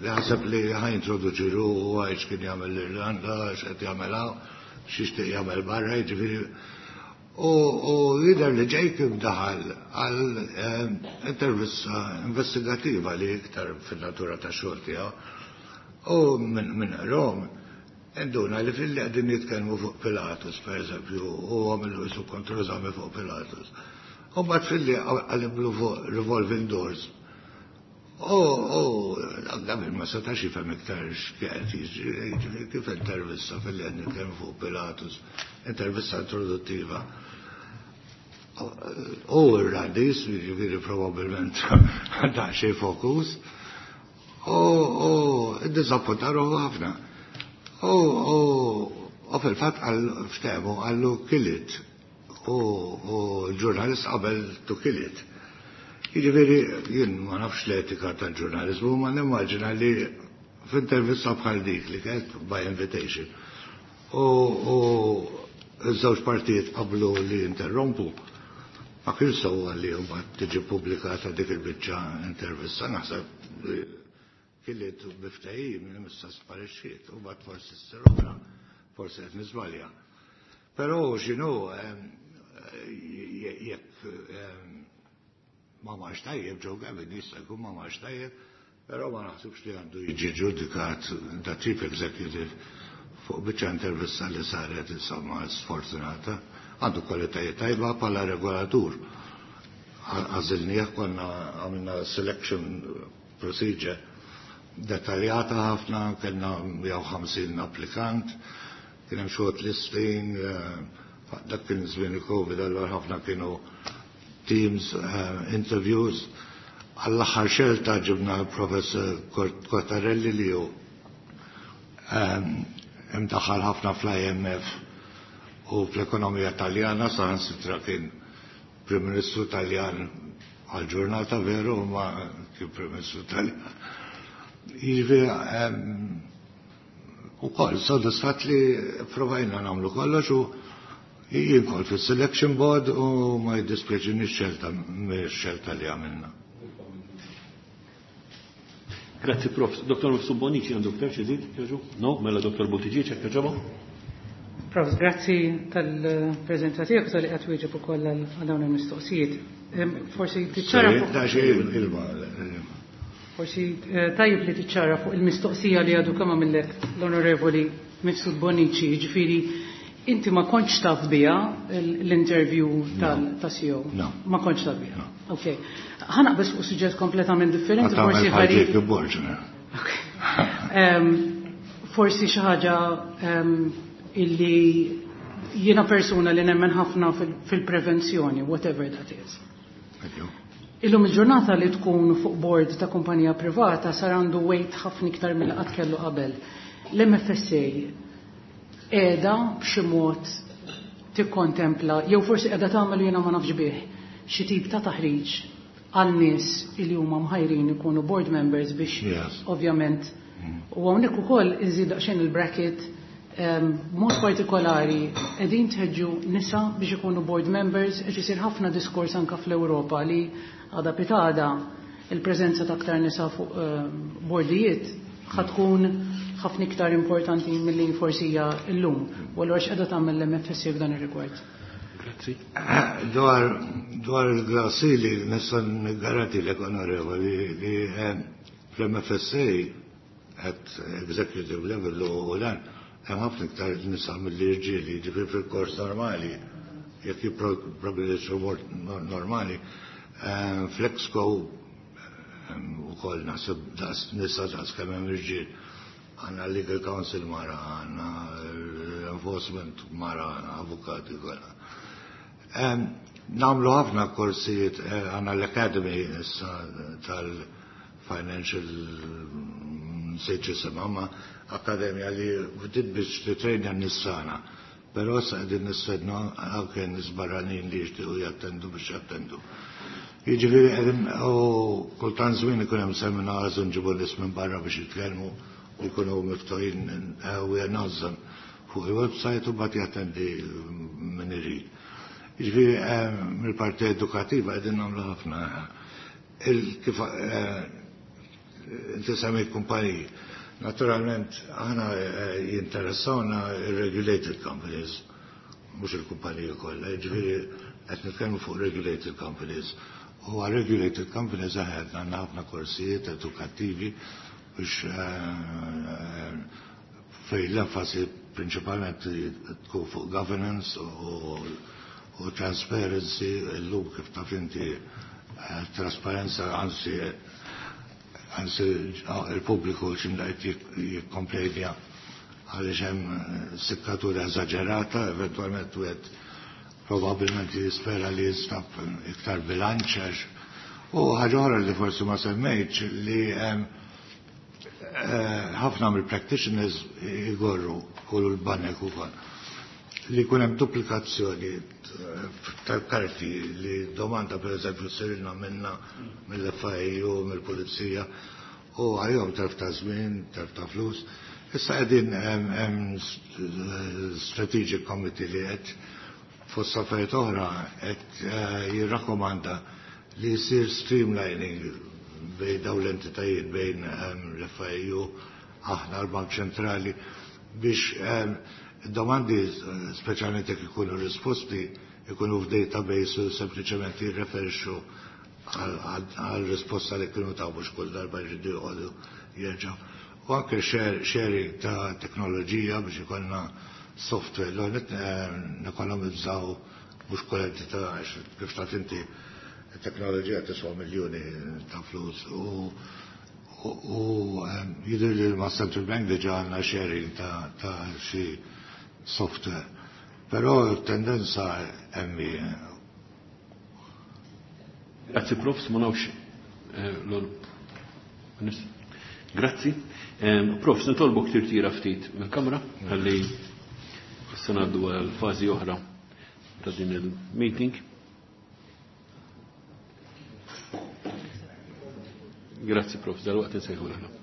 li ħaseb li ħa jintroduċi ruħu, għax kien jagħmel l-Irlanda, x'qed jagħmel hawn, x'jixtieq jagħmel barra, jiġifieri. U jidher li Jacob daħal għal intervista investigativa li iktar fil-natura ta' xogħol tiegħu. U minn Rom, induna li fil-li qegħdin jitkellmu fuq Pilatus, per eżempju, u għamlu su kontroeżami fuq Pilatus. U mbagħad fil-li għaliblu fuq revolving doors. U Gavin ma setax jifhem iktar x'kienet jiġri, kif intervista fil-li nitkellmu fuq Pilatus, intervista introduttiva. U r-radis, jiġifieri probabbilment daqsxejn fokus, u ddiżappuntaru ħafna. U u fil-fatt għal ftehmu qallu "kill it" u l-ġurnalist qabel to kill it. Jiġifieri jien ma nafx l-etika tal-ġurnalizmu, ma nimmaġina li f'intervista bħal dik li kienet by invitation. U ż-żewġ partijiet qablu li interrompu. Ma kienx sewwa li mbagħad tiġi pubblikata dik il-biċċa intervista, naħseb li kill it bi ftehim li issa sparixxiet u mbagħad forsi ssir oħra, forsi qed niżbalja. Però x'inhu, jekk ma marx tajjeb Joe Gavin, jista' jkun ma marx tajjeb, però ma naħsibx li għandu jiġi ġudikat da chief executive fuq biċċa intervista li saret, insomma, sfortunata. Għandu kwalitajiet tajba bħala regolatur. Għażilnieh, konna għamilna selection procedure dettaljata ħafna, kellna mija u ħamsin applikant, kien hemm short listing, dak kien żmien il-Covid, allura ħafna kienu Teams uh, interviews. Għall-aħħar xelta ġibna professor Cottarelli li hu um, imdaħħal ħafna fl-I M F u fl-ekonomija Taljana, saħansitra kien Prim Ministru Taljan għal-ġurnata, veru, ma kien Prim Ministru Taljan. Jiġifieri u koll, sodisfat li provajna nagħmlu kollox u jien kol fil-selection board u ma jiddispjaċini xelta xelta li għamilna. Grazzi, Prof. Doktor Mifsud Bonnici għandu ktar xi jżid? No, mela Doktor Buttigieg, jekk jogħġobok. Prof, grazzi tal-preżenza tiegħek, tal-li qed wieġeb ukoll għal dawn il-mistoqsijiet. Forsi tiċċara Forsi eh, tajjeb li tiċċara fuq il-mistoqsija li għadu kemm għamillek l-Onorevoli Mifsud Bonnici, jiġifieri inti ma kontx taf biha l-interview tal-C E O? No. Ma kontx taf biha. Ok. Ħa naqbeż fuq suġġett kompletament differenti, forsi ħarib. Forsi xi ħaġa illi jiena persuna li nemmen ħafna fil-prevenzjoni, whatever that is. Illum il-ġurnata li tkun fuq board ta' kumpanija privata sar għandu weight ħafna iktar mill qatt kellu qabel. L-M F S A qiegħda b'xi mod tikkontempla, jew forsi qiegħda tagħmel jiena ma nafx bih, xi tip ta' taħriġ għal nies li huma mħajrin ikunu board members biex ovvjament mm. u hawnhekk ukoll iżid daqsxejn il-bracket, mod partikolari qegħdin tħeġġu nisa biex ikunu board members, qed isir ħafna diskors anka fl-Ewropa li għada pitgħada il-preżenza ta' aktar nisa fuq bordijiet ħa tkun ħafna iktar importanti milli forsi hija llum. U allura x'qiegħda tagħmel l-M F S A f'dan ir-rigward? Grazzi. Dwar dwar il-glass ceiling nista' niggarantilek, onorevoli, li eh, fl-M F S A at executive level u dan hemm ħafna iktar nisa mill-irġieli, ġifieri fil-kors normali, jekk jipprogredixxu normali, eh, fl-ExCo ukoll naħseb daqs nisa daqs kemm hemm irġiel. Għandna legal counsel mara, għandna enforcement mara, avukati kollha. Nagħmlu ħafna korsijiet, eh, għandna l-Academy issa tal-Financial, nsejt jisimha, ma akademja li bdiet biex titrejna n-nissana. Però sa qegħdin nistednu anke nies barranin li jixtiequ jattendu biex jattendu. Jiġifieri qegħdin u kultant żmien ikun hemm seminars u nġibu nies minn barra biex jitkellmu u jkunu miftuħin, we announce them fuq il-website u mbagħad jattendi min irid. Jiġifieri mill-parti edukattiva qegħdin nagħmlu ħafna. Kif inti semmejt kumpaniji, naturalment aħna jinteressawna regulated companies, mhux il-kumpaniji kollha, jiġifieri qed nitkellmu fuq regulated companies. U għal regulated companies aħna għandna ħafna korsijiet edukattivi biex fej l-enfasi prinċipalment tkun fuq governance u, u transparency. Illum, kif taf inti, trasparenza, anzi anzi il-pubbliku x'imdaqt jikkomplejnja għaliex hemm sikkatura eżaġerata, eventwalment wieħed probabbilment jispera li jinstab iktar bilanċ għax. U ħaġa oħra li forsi ma semmejtx li ħafna mill-practitioners jgorru kull l-banek ukoll li jkun hemm duplikazzjoni tal-karti li domanda per eżempju sirilna minna mill-F I U, mill-Pulizija, u għajhom telf ta' żmien, telf ta' flus. Issa qegħdin hemm strategic committee li qed fost affarijiet oħra qed jirrakkomanda li jsir streamlining bejn dawn l-entitajiet, bejn l-F I U, aħna, l-Bank Ċentrali, biex domandi, speċjalment jekk ikunu risposti, ikunu f'database u sempliċement jirreferixxu għal risposta li kienu taw, mhux kull darba jridu joqogħdu jerġgħu. U anke sharing ta' teknoloġija biex ikollna software, l nekonomizzaw, mhux kull entità, għax kif taf inti teknoloġija tiswa miljoni ta' flus u u jidher li ma' Central Bank diġà għandna sharing ta' ta' xi software. Però tendenza hemm. Grazzi Profs, ma nafx l Grazzi. Profs, nitolbok tirtira ftit mill-kamra ħalli issa ngħaddu għal fażi oħra ta' din il-meeting. Grazzi Profs, dal-waqt nsejħu l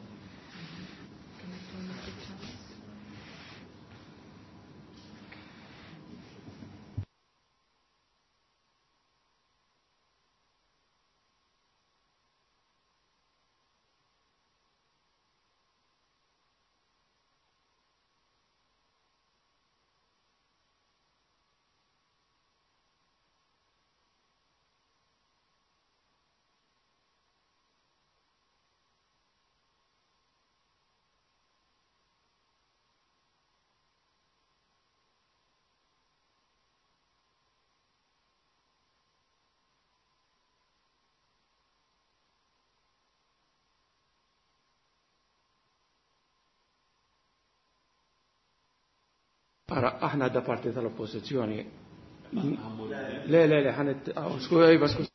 Ara, aħna da parti tal-oppożizzjoni. Le, le, le, ħanet, skuża, iva, skuża.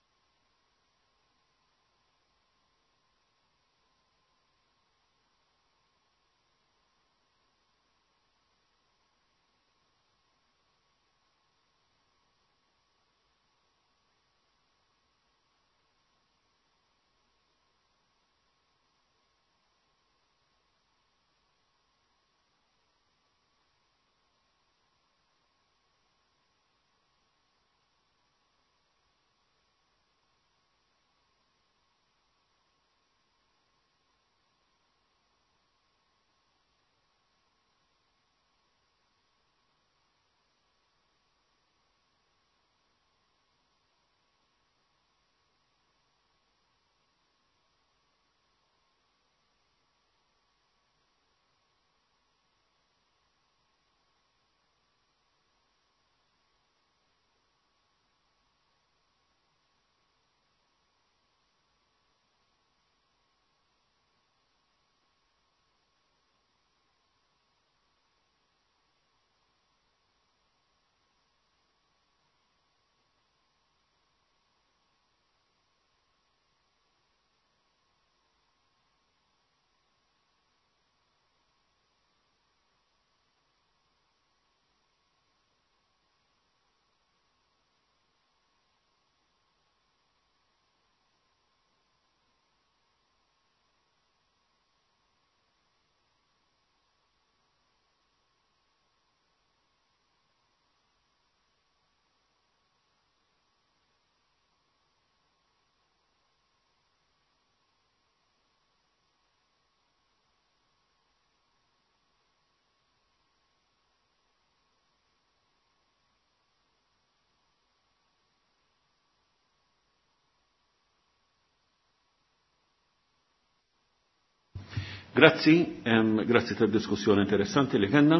Grazzi, grazzi tad-diskussjoni interessanti li kellna.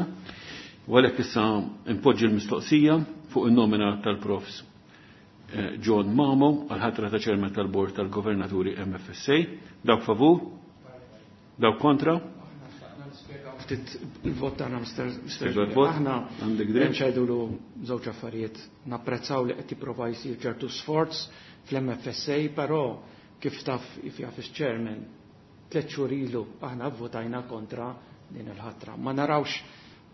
U għalhekk issa impoġġi l-mistoqsija fuq in-nomina tal-profs eh, John Mamo għal ħatra ta' ċermen tal-Bord tal-Governaturi M F S A. Dawk favur? Dawk kontra? Ftit il-vot tagħna Mister Spjega l-vot. Aħna Għandek dritt. hemm x'għidulu żewġ affarijiet. Napprezzaw li qed jipprova jsir ċertu sforz fl-M F S A, però kif taf jaf iċ-chairman, tliet xhur ilu aħna vvotajna kontra din il-ħatra. Ma narawx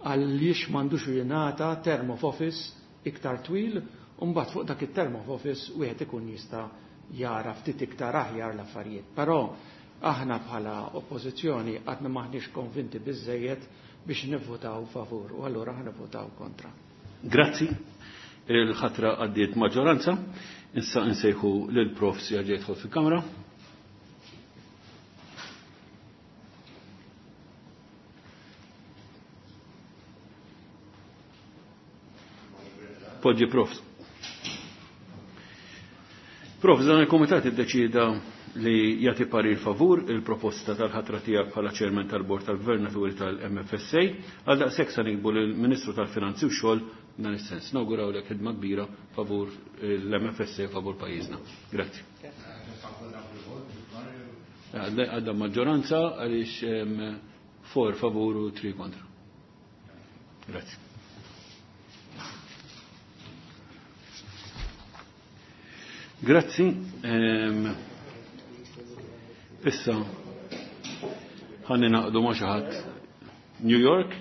għaliex m'għandux jingħata term of office iktar twil, u mbagħad fuq dak it-term of office wieħed ikun jista' jara ftit iktar aħjar l-affarijiet. Però aħna bħala oppożizzjoni għadna maħniex konvinti biżejjed biex nivvotaw favur, u allura aħna nivvotaw kontra. Grazzi. Il-ħatra għaddiet maġġoranza. Issa nsejħu lil Prof jerġa' jidħol fil-kamra. Poġġi Prof. Prof, dan il-Komitat iddeċida li jagħti parir favur il-proposta tal-ħatra tiegħek bħala ċermen tal-Bord tal-Gvernaturi tal-M F S A. Għal daqshekk sa nikbu lill-Ministru tal-Finanzi u Xogħol dan is-sens. Nawgurawlek ħidma kbira favur l-M F S A, favur pajjiżna. Grazzi. Għadda maġġoranza għaliex four favur u three kontra. Grazzi. Grazzi. Issa ħa ningħaqdu ma' xi ħadd New York.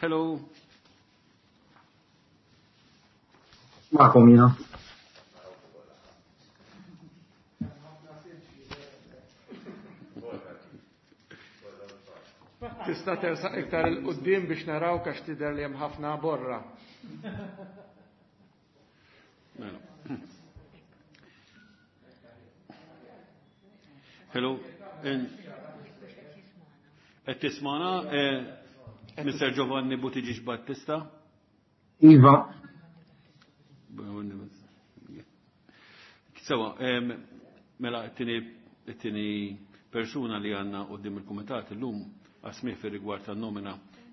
Hello. Magħkom jiena. Tista' tersaq iktar 'il quddiem biex naraw għax tidher li hemm ħafna borra. Mela. Hello. Qed tismana eh, Mister Giovanni Buttigieg Battista? Iva. Sewa, mela t-tieni persuna li għandna quddiem il-kumitat illum għas-smigħ fir-rigward tan-nomina,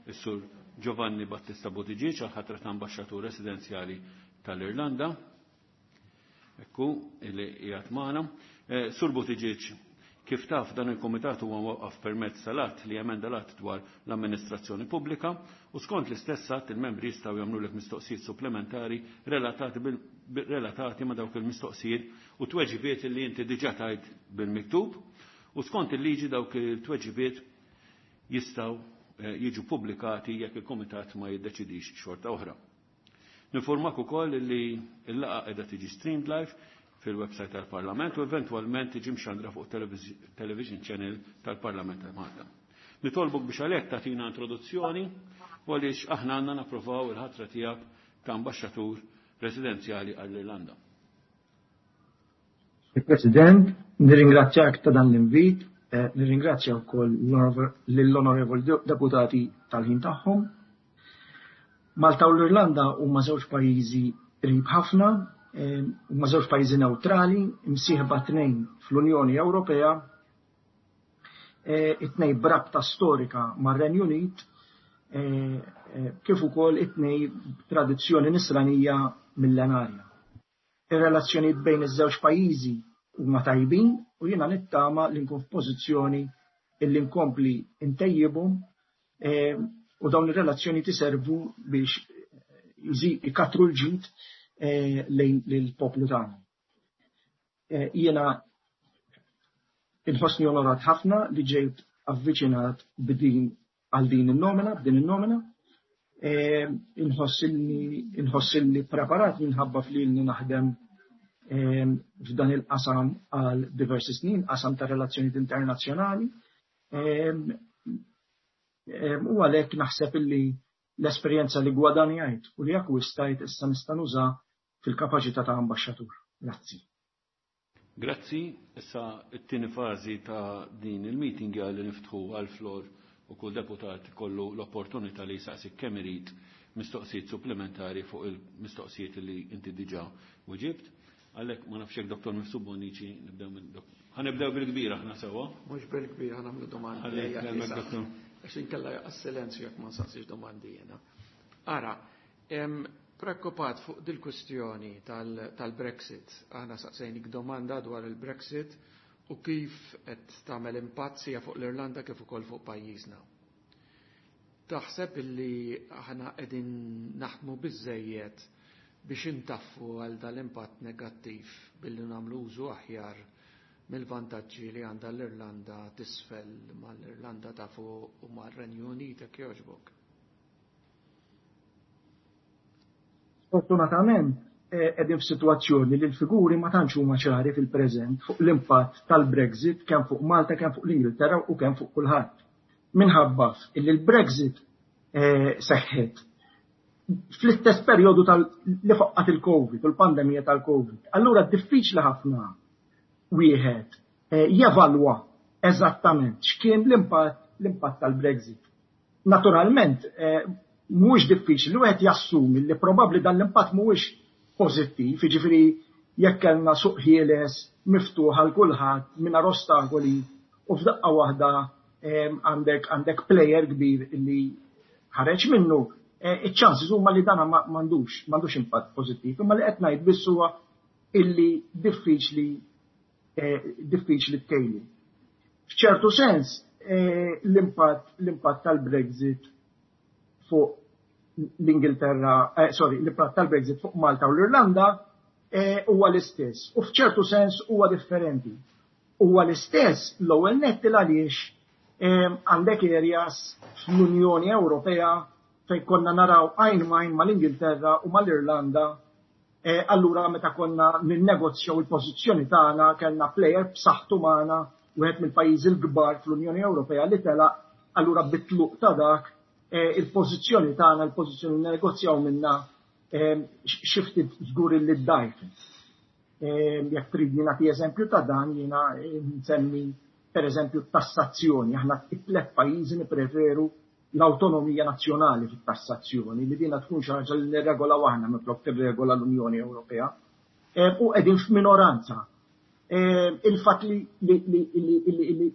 is-Sur Giovanni Battista Buttigieg għal ħatra ta' ambaxxatur residenzjali tal-Irlanda. Ekku, illi qiegħed magħna. Eh, Sur Buttigieg, kif taf, dan il-komitat huwa mwaqqaf permezz tal-att li emenda l-att dwar l-amministrazzjoni pubblika, u skont l-istess att il-membri jistgħu jagħmlulek mistoqsijiet supplementari relatati, bil, relatati ma' dawk il-mistoqsijiet u tweġibiet li inti diġà tajt bil-miktub, u skont il-liġi dawk il-tweġibiet jistgħu eh, jiġu pubblikati jekk il-komitat ma jiddeċidix xorta oħra. Ninformak ukoll li l-laqgħa qiegħda tiġi streamed live fil-website tal-Parlament u eventwalment tiġi mxandra fuq television channel tal-Parlament ta' Malta. Nitolbuk biex għalhekk tagħtina introduzzjoni u għaliex aħna għandna napprovaw il-ħatra tiegħek ta' ambaxxatur residenzjali għall-Irlanda. Il-President, nirringrazzjak ta' dan l-invit, eh, nirringrazzja wkoll lill-onorevoli deputati tal-ħin tagħhom. Malta u l-Irlanda huma żewġ pajjiżi qrib ħafna, eh, huma żewġ pajjiżi neutrali, imsieħba tnejn fl-Unjoni Ewropea, eh, it-tnejn b'rabta storika mar-Renju Unit, kif ukoll it-tnejn tradizzjoni nisranija millenarja. Ir-relazzjonijiet bejn iż-żewġ pajjiżi huma tajbin u jiena nittama li nkun f'pożizzjoni illi nkompli ntejjibhom eh, u dawn ir-relazzjoni tiservu biex ikatru l-ġid eh, lejn lill-poplu tagħna. Eh, jiena inħossni onorat ħafna li ġejt avviċinat b'din għal din in-nomina, b'din in-nomina. Inħossilni preparat minħabba fli naħdem f'dan il-qasam għal diversi snin, qasam ta' relazzjonijiet internazzjonali. U għalhekk naħseb illi l-esperjenza li gwadanjajt u li akkwistajt issa nista' nuża fil-kapaċità ta' ambaxxatur. Grazzi. Grazzi. Issa t-tieni fażi ta' din il-meeting li niftħu għal-floor u kull deputat kollu l-opportunità li jsaqsi kemm irid mistoqsijiet supplementari fuq il-mistoqsijiet li inti diġà weġibt. Għalhekk ma nafx hekk Dottor Mifsud Bonnici, nibdew minn Ħa nibdew bil-kbir aħna sewwa. Mhux bil-kbir, ħa nagħmlu domandi. Għax inkella jaqa' silenzju jekk ma nsaqsix domandi jiena. Ara, preokkupat fuq dil-kwistjoni tal-Brexit. Aħna saqsejnik domanda dwar il-Brexit u kif qed tagħmel impatt sija fuq l-Irlanda kif ukoll fuq pajjiżna. Taħseb illi aħna qegħdin naħdmu biżejjed biex intaffu għal dal-impatt negattiv billi nagħmlu użu aħjar mill-vantaġġi li għandha l-Irlanda t'isfel mal-Irlanda ta' fuq u mar-Renju Unit, jekk jogħġbok? Fortunatament qegħdin f'sitwazzjoni li l-figuri ma tantx huma ċari fil-preżent fuq l-impatt tal-Brexit kemm fuq Malta, kemm fuq l-Ingilterra u kemm fuq kulħadd. Minħabba illi l-Brexit seħħet fl-istess perjodu li faqqat il-Covid u l-pandemija tal-Covid. Allura diffiċli ħafna wieħed jevalwa eżattament x'kien l-impatt l-impatt tal-Brexit. Naturalment, mhuwiex diffiċli li wieħed jassumi li probabbli dan l-impatt mhuwiex pożittiv, jiġifieri jekk kellna suq ħieles miftuħ għal kulħadd mingħajr ostakoli u f'daqqa waħda għandek għandek player kbir li ħareġ minnu, iċ-ċansi huma li dan m'għandux m'għandux impatt pożittiv, imma li qed ngħid biss huwa illi diffiċli diffiċli tkejli. F'ċertu sens l-impatt l-impatt tal-Brexit fuq l-Ingilterra, eh, sorry, l-impatt tal-Brexit fuq Malta u l-Irlanda huwa l-istess. U f'ċertu sens huwa differenti. Huwa l-istess l-ewwel nett għaliex għandek areas fl-Unjoni Ewropea fejn konna naraw għajn m'għajn mal-Ingilterra u mal-Irlanda. Allura meta konna ninnegozjaw il-pożizzjoni tagħna kellna player b'saħħtu magħna, wieħed mill-pajjiżi l-kbar fl-Unjoni Ewropea li telaq, allura bit-tluq ta' dak il-pożizzjoni tagħna, il-pożizzjoni li negozjaw minna xi ftit żgur li ddajfet. Jekk tridni nagħti eżempju ta' dan, jiena nsemmi pereżempju t-tassazzjoni. Aħna t-tliet pajjiżi nippreferu l-awtonomija nazzjonali fit-tassazzjoni, li dina tkun xi ħaġa li nirregolaw aħna minflok tirregola l-Unjoni Ewropea. U qegħdin f'minoranza. Il-fatt li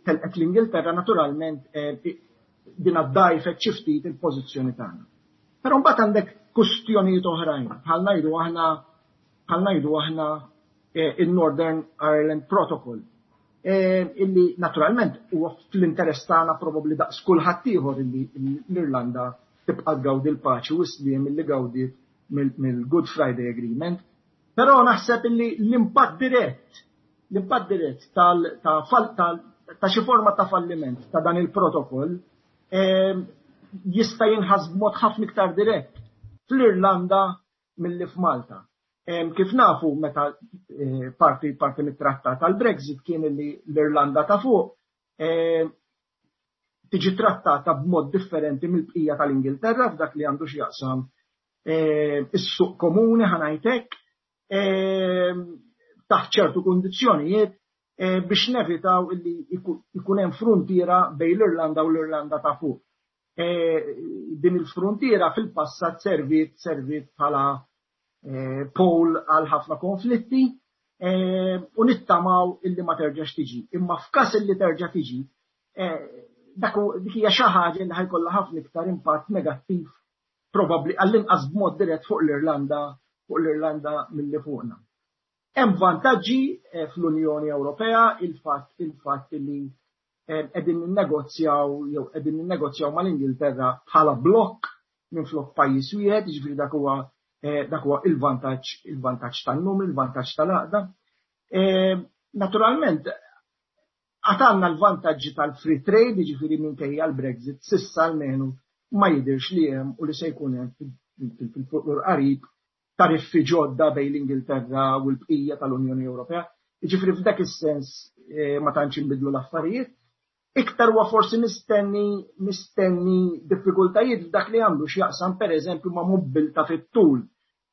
telqet l-Ingilterra naturalment dina ddajfet xi ftit il-pożizzjoni tagħna. Però mbagħad għandek kwistjonijiet oħrajn, bħal ngħidu aħna bħal ngħidu aħna il-Northern Ireland Protocol, illi naturalment huwa fl-interess tagħna probabbli daqs kulħadd ieħor illi l-Irlanda tibqa' tgawdi l-paċi u s-sliem illi gawdiet mill-Good Friday Agreement. Però naħseb illi l-impatt dirett, l-impatt dirett tal ta' xi forma ta' falliment ta' dan il-protokoll jista' jinħass b'mod ħafna iktar dirett fl-Irlanda milli f'Malta. Kif nafu meta parti parti mit-trattat tal-Brexit kien li l-Irlanda ta' fuq tiġi trattata b'mod differenti mill-bqija tal-Ingilterra f'dak li għandu x'jaqsam is-suq komuni, ħa ngħidlek, taħt ċertu kundizzjonijiet biex nevitaw illi ikun hemm fruntiera bejn l-Irlanda u l-Irlanda ta' fuq. Din il-fruntiera fil-passat servit servit bħala pol għal ħafna konflitti u nittamaw illi ma terġax tiġi. Imma f'każ illi terġa' tiġi, dak dik hija xi ħaġa li ħajkollha ħafna iktar impatt negattiv probabbli għall-inqas b'mod dirett fuq l-Irlanda, fuq l-Irlanda milli fuqna. Hemm vantaġġi fl-Unjoni Ewropea, il-fatt il-fatt li qegħdin ninnegozjaw jew qegħdin ninnegozjaw mal-Ingilterra bħala blokk minflok pajjiż wieħed, jiġifieri dak huwa dak huwa il-vantaġġ il-vantaġġ tan-numri, il-vantaġġ tal-għaqda. Naturalment, għad għandna l-vantaġġi tal-free trade, jiġifieri minkejja l-Brexit, s'issa almenu ma jidhirx li hemm u li se jkun hemm fil-futur qarib tariffi ġodda bejn l-Ingilterra u l-bqija tal-Unjoni Ewropea. Jiġifieri f'dak is-sens ma tantx inbidlu l-affarijiet. Iktar huwa forsi mistenni mistenni diffikultajiet f'dak li għandu x'jaqsam pereżempju ma' mobbiltà fit-tul.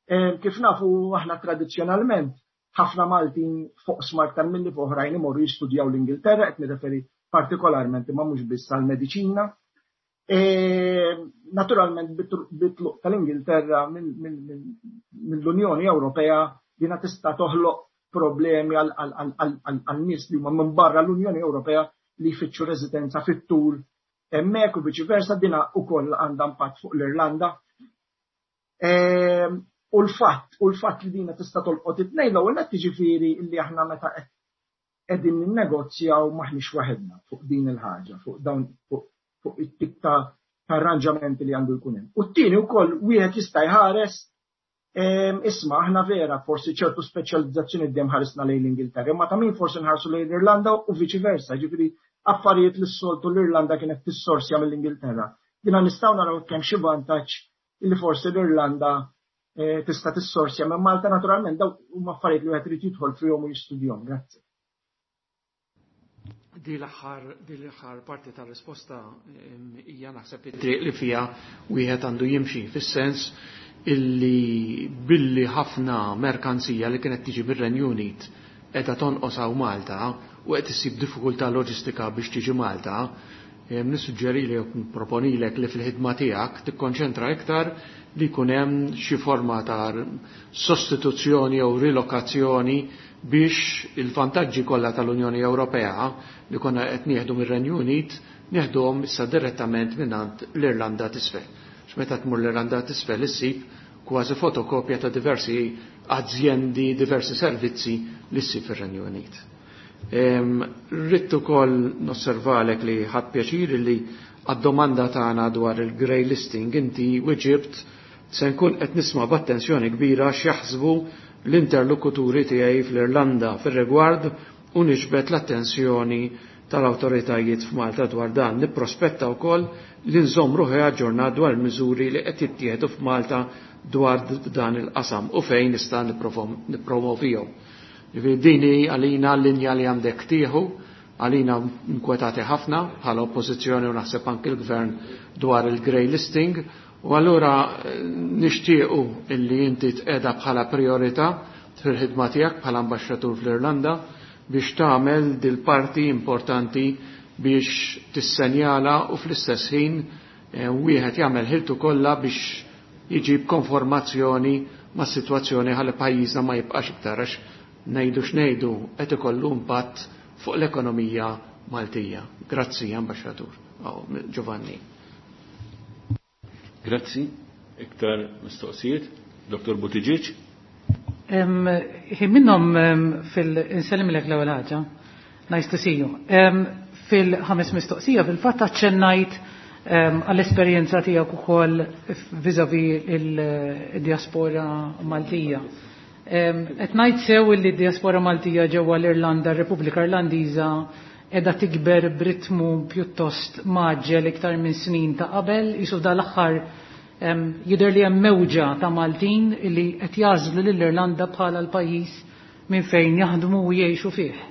Kif nafu aħna tradizzjonalment ħafna Maltin fuq aktar milli fuq oħrajn imorru jistudjaw l-Ingilterra, qed nirreferi partikolarment imma mhux biss għall-mediċina. Naturalment bit-tluq tal-Ingilterra mill-Unjoni Ewropea dina tista' toħloq problemi għal nies li huma minn barra l-Unjoni Ewropea li jfittxu residenza fit-tul hemmhekk u viċi versa, dina wkoll għandha impatt fuq l-Irlanda. Ehm, u l-fatt, u l-fatt li dina tista' tolqot it-tnejn, l-ewwel nett jiġifieri li aħna meta qegħdin ninnegozjaw maħniex waħedna fuq din il-ħaġa, fuq dawn fuq it-tip ta' arranġamenti li għandu jkun hemm. U t-tieni wkoll wieħed jista' jħares, ehm, isma' aħna vera forsi ċertu speċjalizzazzjoni dejjem ħarisna lejn l-Ingilterra, imma ta' min forsi nħarsu lejn l-Irlanda u viċi versa, ġifieri affarijiet li s-soltu l-Irlanda kienet tissorsja mill-Ingilterra. Dina nistgħu naraw kemm xi vantaġġ li forsi l-Irlanda eh, tista' tissorsja minn Malta. Naturalment dawn huma affarijiet li wieħed irid jidħol fihom u jistudjahom. Grazzi. Di l-aħħar di l-aħħar parti tar-risposta hija naħseb it-triq li fiha wieħed għandu jimxi, fis-sens illi billi ħafna merkanzija li kienet tiġi mir-Renju Unit qiegħda tonqos hawn Malta u qed issib diffikultà loġistika biex tiġi Malta, nissuġġerilek jew nproponilek li fil-ħidma tiegħek tikkonċentra iktar li jkun hemm xi forma ta' sostituzzjoni jew rilokazzjoni biex il-vantaġġi kollha tal-Unjoni Ewropea li konna qed nieħdu mir-Renju Unit nieħduhom issa direttament mingħand l-Irlanda t'Isfel. Meta tmur l-Irlanda t'Isfel issib kważi fotokopja ta' diversi azjendi, diversi servizzi li ssib fir-Renju Unit. Rrid ukoll nosservalek li ħadt pjaċir li għad-domanda tagħna dwar il-grey listing inti weġibt: "Se nkun qed nisma' b'attenzjoni kbira x'jaħsbu l-interlokuturi tiegħi fl-Irlanda fir-rigward u niġbed l-attenzjoni tal-awtoritajiet f'Malta dwar dan. Nipprospetta wkoll li nżomm ruħi aġġornat dwar il-miżuri li qed jittieħdu f'Malta dwar dan il-qasam u fejn nista' nippromovihom." Ġifieri din hi għalina l-linja li għandek tieħu, għalina nkwetati ħafna bħala oppożizzjoni u naħseb anki l-gvern dwar il-grey listing, u allura eh, nixtiequ illi inti tqiegħda bħala priorità fil-ħidma tiegħek bħala ambaxxatur fl-Irlanda biex tagħmel dil-parti importanti biex tissenjala u fl-istess ħin eh, wieħed jagħmel ħiltu kollha biex jiġib konformazzjoni ma' situazzjoni ħalli pajjiżna ma jibqax iktar, għax ngħidu x'ngħidu qed ikollu impatt fuq l-ekonomija Maltija. Grazzi, Ambaxxatur. Oh, Giovanni. Grazzi. Iktar mistoqsijiet? Doktor Buttigieg? Ħin minnhom fil-insellimlek l-ewwel ħaġa. Nice to see you. Fil-ħames mistoqsija fil-fatt aċċennajt għall-esperjenza tiegħek ukoll vis-à-vis il-diaspora Maltija. Qed ngħid sew li d-diaspora Maltija ġewwa l-Irlanda, r-Repubblika Irlandiża, qiegħda tikber b'ritmu pjuttost mgħaġġel iktar minn snin ta' qabel, jisu dal-aħħar jidher li hemm mewġa ta' Maltin li qed jagħżlu lill-Irlanda bħala l-pajjiż minn fejn jaħdmu u jgħixu fih?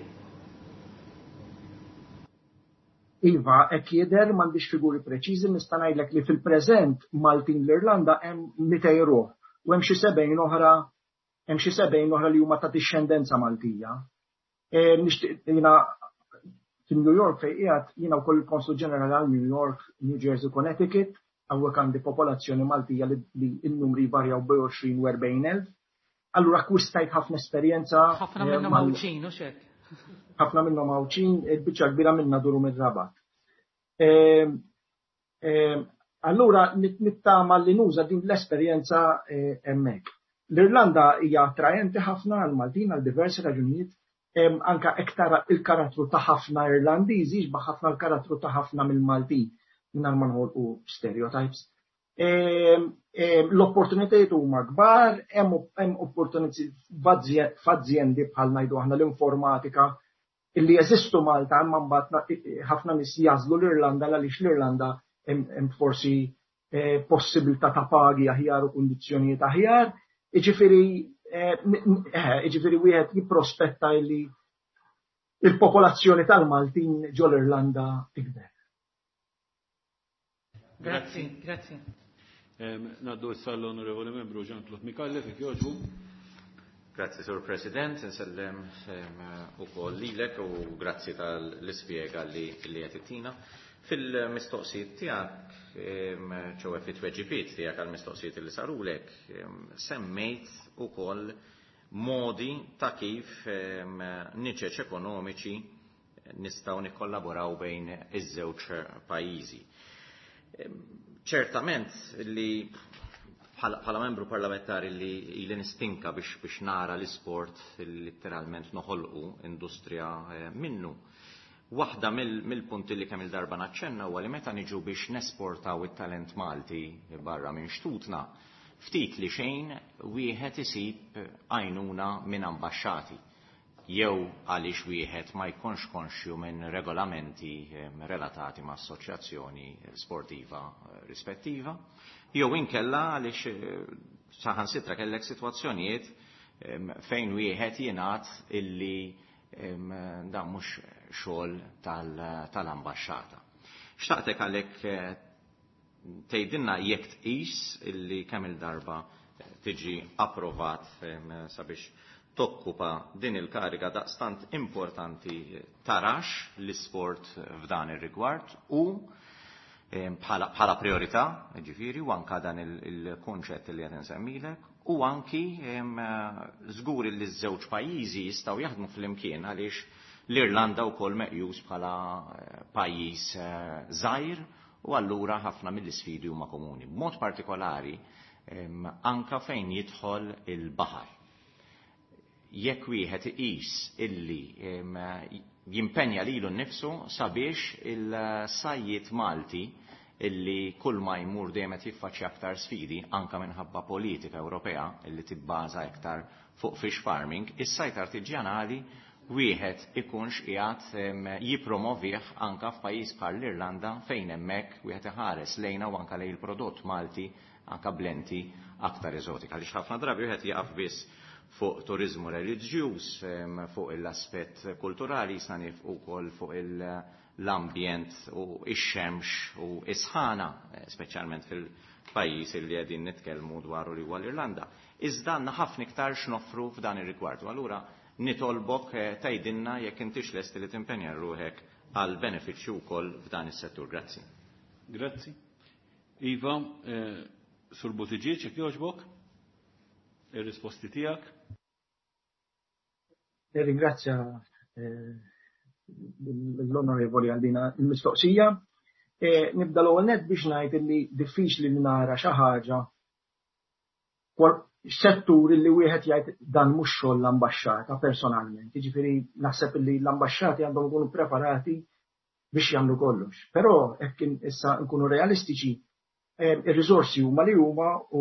Iva, hekk jidher. M'għandix figuri preċiżi, nista' ngħidlek li fil-preżent Maltin l-Irlanda hemm mitejn ruħ u hemm xi sebgħin oħra hemm xi sebgħin oħra li huma ta' dixxendenza Maltija. E, nixtieq jiena fin-New York fejn qiegħed jiena wkoll il-Konsul Ġenerali għal New York, New Jersey, Connecticut, hawnhekk għandi popolazzjoni Maltija li, li n-numri varjaw bejn għoxrin u erbgħin elf. Allura akkwistajt ħafna esperjenza. Ħafna minnhom Għawdxin, u xek. Ħafna minnhom Għawdxin, il-biċċa kbira minna duru mir-Rabat. Allura nittama li nuża din l-esperjenza eh, hemmhekk. L-Irlanda hija attrajenti ħafna għal Maltin għal diversi raġunijiet, anka iktar il-karattru ta' ħafna Irlandiżi jixbaħ ħafna l-karattru ta' ħafna mill-Maltin, mingħajr ma noħolqu stereotypes. L-opportunitajiet huma kbar, hemm opportunitajiet f'azjendi bħal ngħidu aħna l-informatika illi jeżistu Malta, imma mbagħad ħafna nies jagħżlu l-Irlanda għaliex l-Irlanda hemm forsi eh, possibilità ta' pagi aħjar u kundizzjonijiet aħjar. Jiġifieri eh, eh, jiġifieri wieħed jipprospetta illi il-popolazzjoni tal-Maltin ġol-Irlanda tikber. Grazzi, grazzi. Ngħaddu issa l-Onorevoli Membru Jean-Claude Micallef, jekk jogħġbu. Grazzi, Sur President, nsellem ukoll lilek u grazzi tal-ispjega li li qed ittina. Fil-mistoqsijiet tiegħek, ċoè fit-tweġibiet tiegħek għall-mistoqsijiet li sarulek, semmejt ukoll modi ta' kif niċeċ ekonomiċi nistgħu nikkollaboraw bejn iż-żewġ pajjiżi. Ċertament li bħala membru parlamentari li ili nistinka biex biex nara l-isport letteralment noħolqu industrija minnu. Waħda mill-punti li kemm il-darba naċċenna huwa li meta niġu biex nesportaw it-talent Malti barra minn xtutna, ftit li xejn wieħed isib għajnuna minn ambaxxati jew għaliex wieħed ma jkunx konxju minn regolamenti relatati ma' assoċjazzjoni sportiva rispettiva, jew inkella għaliex saħansitra kellek sitwazzjonijiet fejn wieħed jingħad illi dan mhux xogħol tal-ambaxxata. Xtaqtek għalhekk tgħidilna jekk tqis illi kemm il-darba tiġi approvat sabiex tokkupa din il-kariga daqstant importanti tarax l-isport f'dan ir-rigward u bħala priorità, ġifieri, u anka dan il-kunċett li qed insemmilek, u anki żgur li ż-żewġ pajjiżi jistgħu jaħdmu flimkien għaliex l-Irlanda wkoll meqjus bħala pajjiż żgħir u allura ħafna mill-isfidi huma komuni. B'mod partikolari anka fejn jidħol il-baħar. Jekk wieħed iqis illi jimpenja lilu nnifsu sabiex il-sajjiet Malti illi kull ma jmur dejjem qed jiffaċċja aktar sfidi anka minħabba politika Ewropea illi tibbaża iktar fuq fish farming, is-sajt artiġjanali wieħed ikunx qiegħed jippromovih anka f'pajjiż bħal l-Irlanda fejn hemmhekk wieħed iħares lejna u anka lejn il-prodott Malti anka blenti aktar eżotika. Għaliex ħafna drabi wieħed jaqaf biss fuq turizmu reliġjuż, fuq l-aspett kulturali, jisna nifqu wkoll fuq l-ambjent u x-xemx u s-sħana, speċjalment fil-pajjiż li qegħdin nitkellmu dwaru li huwa l-Irlanda. Iżda għandna ħafna iktar x'noffru f'dan ir-rigward. U allura nitolbok tgħidilna jekk intix lest li timpenja ruħek għal benefiċċju wkoll f'dan is-settur. Grazzi. Grazzi. Iva, Sur Buttigieg, jekk jogħġbok, ir-risposti tiegħek. Nirringrazzja l-onorevoli għal din il-mistoqsija. Nibda l-ewwel nett biex ngħid li diffiċli li nara xi ħaġa settur li wieħed jgħid dan mhux xogħol l-ambaxxata personalment. Jiġifieri naħseb li l-ambaxxati għandhom ikunu preparati biex jagħmlu kollox. Però hekk issa nkunu realistiċi, ir-riżorsi huma li huma u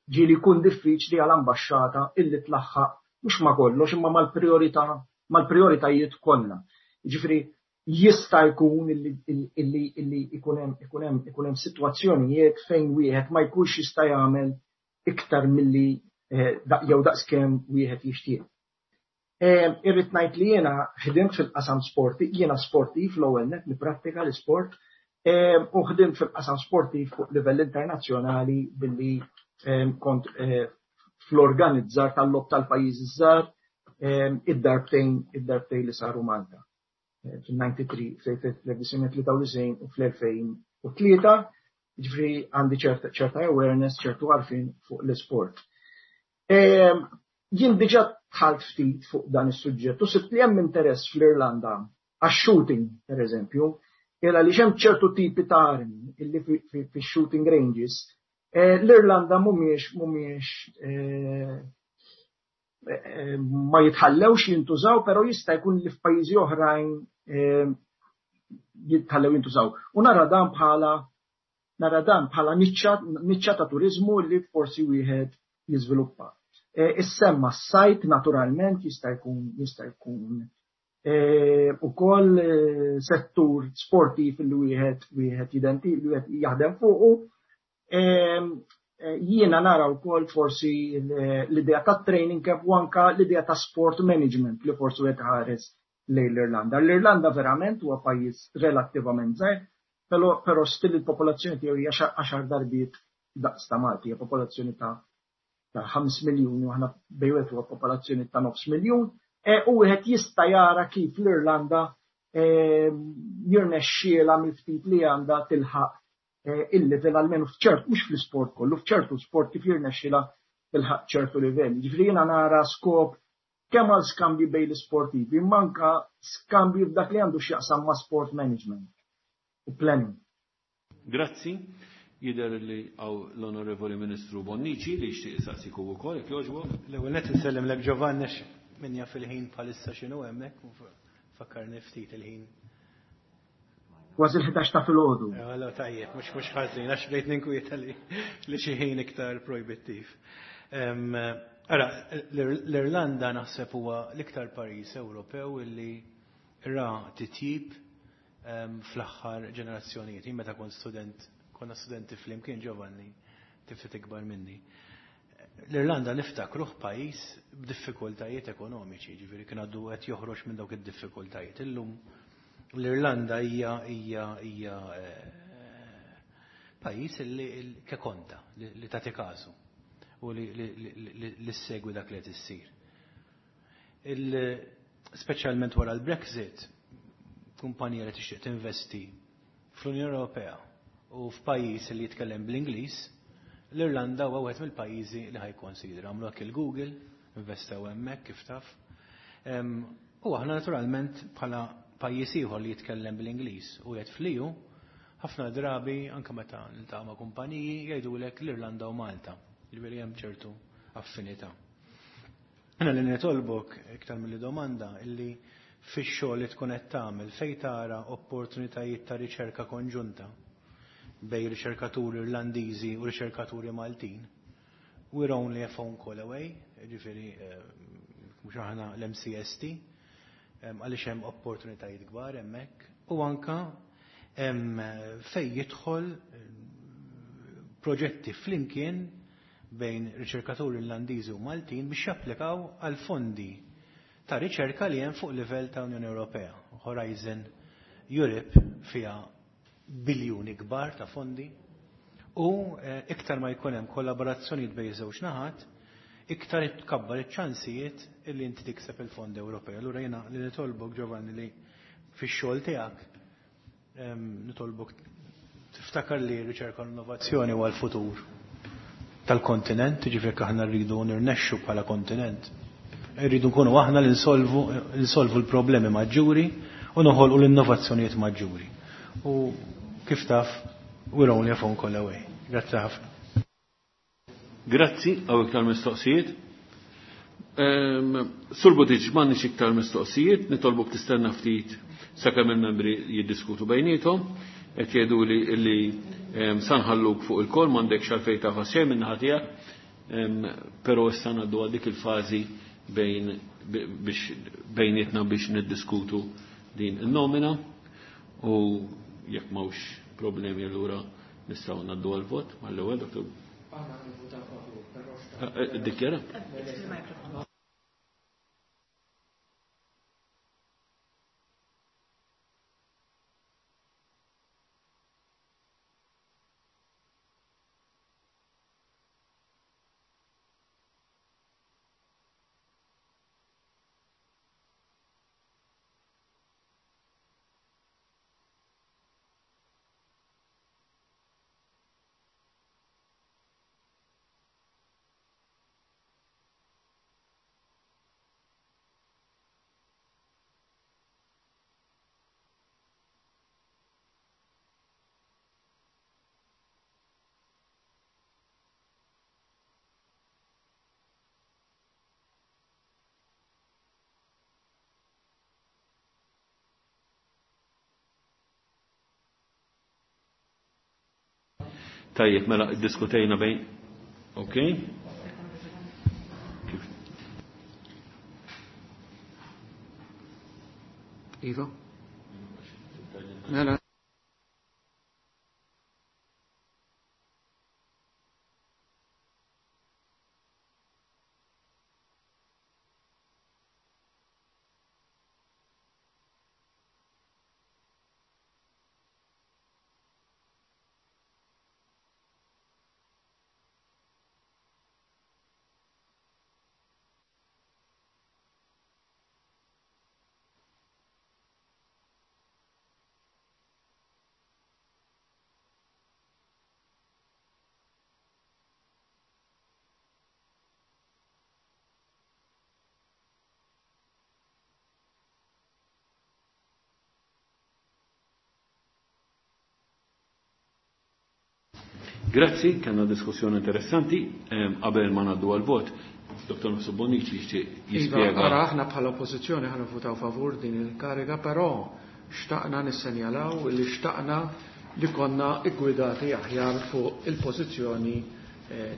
ġieli jkun diffiċli għal ambaxxata illi tlaħħaq mhux ma kollox imma mal-priorità mal-prioritajiet kollha. Jiġifieri jista' jkun illi illi ikun hemm ikun hemm ikun hemm sitwazzjonijiet fejn wieħed ma jkunx jista' jagħmel iktar milli jew daqskemm wieħed jixtieq. Irrid ngħid li jiena ħdimt fil-qasam sporti, jiena sportiv l-ewwel nett nipprattika l-isport, u ħdimt fil-qasam sportiv fuq livell internazzjonali billi kont fl-organizzar tal-logħob tal-pajjiżi żgħar id-darbtejn id-darbtejn li saru Malta. fil-ninety-three, fl-elf u fl-elfejn u tlieta, ġifieri għandi ċerta awareness, ċertu għarfien fuq l-isport. Jien diġà dħalt ftit fuq dan is-suġġett u sibt li hemm interess fl-Irlanda għax-shooting, per eżempju, illa li hemm ċertu tipi ta' armi illi fix-shooting ranges l-Irlanda mhumiex mhumiex ma jitħallewx jintużaw, però jista' jkun li f'pajjiżi oħrajn jitħallew jintużaw. U nara dan bħala nara dan bħala niċċa ta' turizmu li forsi wieħed jiżviluppa. Issemma s-sajt naturalment jista' jkun jista' jkun ukoll settur sportiv li wieħed wieħed identi li wieħed jaħdem fuqu. Jiena nara wkoll forsi l-idea ta' training camp u anka l-idea ta' sport management li forsi wieħed ħares lejn l-Irlanda. L-Irlanda verament huwa pajjiż relattivament żgħir, però still il-popolazzjoni tiegħu hija għaxar darbiet daqs ta' Malti, hija popolazzjoni ta' ħames miljuni u aħna bejwet huwa popolazzjoni ta' nofs miljun, u wieħed jista' jara kif l-Irlanda jirnexxielha mill-ftit li għandha tilħaq il-level almenu f'ċert, mhux fl-isport kollu, f'ċertu sport kif jirnexxielha tilħaq ċertu livell. Ġifieri jiena nara skop kemm għal skambji bejn l-isportivi, imma anke skambji f'dak li għandu x'jaqsam ma' sport management u planning. Grazzi. Jidher li għaw l-Onorevoli Ministru Bonnici li jixtieq isaqsik hu wkoll, jekk jogħġbok. L-ewwel nett insellimlek Giovanni għax min jaf il-ħin bħalissa x'inhu hemmhekk u fakkarni ftit il-ħin. Kważi l-ħdax ta' filgħodu. Allora tajjeb, mhux mhux ħażin għax bdejt ninkwieta li li xi ħin iktar projbittiv. Ara, l-Irlanda naħseb huwa l-iktar pajjiż Ewropew illi ra titjib fl-aħħar ġenerazzjonijiet. Jien meta kont student, konna studenti flimkien Giovanni, tiftit ikbar minni. L-Irlanda niftakruh pajjiż b'diffikultajiet ekonomiċi, ġifieri kien għadu qed joħroġ minn dawk id-diffikultajiet. Illum l-Irlanda hija hija hija pajjiż li kekonta, li tagħti każu u li li ssegwi dak li qed issir. Speċjalment wara l-Brexit, kumpanija li tixtieq tinvesti fl-Unjoni Ewropea u f'pajjiż li jitkellem bl-Ingliż, l-Irlanda huwa wieħed mill-pajjiżi li ħajkonsidra. Għamlu hekk il-Google, investew hemmhekk kif taf. U aħna naturalment bħala pajjiż ieħor li jitkellem bl-Ingliż u qiegħed fl-E U, ħafna drabi anke meta niltaqgħu ma' kumpaniji jgħidulek l-Irlanda u Malta. Ġifieri hemm ċertu affinità. Jiena li nitolbok iktar milli domanda illi fix-xogħol li tkun qed tagħmel fejn tara opportunitajiet ta' riċerka konġunta bej riċerkaturi Irlandiżi u riċerkaturi Maltin. We're only a phone call away, ġifieri mhux aħna l-M C S T, għaliex hemm opportunitajiet kbar hemmhekk u anka hemm fejn jidħol proġetti flimkien bejn riċerkaturi Irlandiżi u Maltin biex japplikaw għal fondi ta' riċerka li hemm fuq livell ta' Unjoni Ewropea. Horizon Europe fiha biljuni kbar ta' fondi u iktar ma jkun hemm kollaborazzjonijiet bejn żewġ naħat, iktar tkabbar iċ-ċansijiet illi inti tikseb il-fondi Ewropej. Allura jiena li nitolbok Giovanni li fix-xogħol tiegħek nitolbok tiftakar li r-riċerka u l-innovazzjoni huwa l-futur tal-kontinent, jiġifieri jekk aħna rridu nirnexxu bħala kontinent, rridu nkunu aħna li nsolvu, nsolvu l-problemi maġġuri u noħolqu l-innovazzjonijiet maġġuri. U kif taf, we're only a phone call away. Grazzi ħafna. Grazzi, għaw iktar mistoqsijiet. Sur Buttigieg, m'għandniex iktar mistoqsijiet, nitolbuk tistenna ftit sakemm il-membri jiddiskutu bejniethom, qed jgħidu li li sanħalluk fuq il-kol, m'għandekx għalfejn tafas xejn minn naħa tiegħek, però issa ngħaddu għal dik il-fażi bejn biex bejnietna biex niddiskutu din in-nomina u jekk m'hawnx problemi allura nistgħu ngħaddu għall-vot mal-ewwel, Doktor. Aħna nivvutaw favur, però xtaqt. Dikjara? Tajjeb, mela iddiskutejna bejn. Ok. Kif? Iva? Mela. Grazzi, kellna diskussjoni interessanti, qabel ma ngħaddu għal-vot. Dottor Mifsud Bonnici jixtieq jispjega. Iva, ara aħna bħala oppożizzjoni ħa nivvutaw favur din il-kariga, però xtaqna nissenjalaw li xtaqna li konna iggwidati aħjar fuq il-pożizzjoni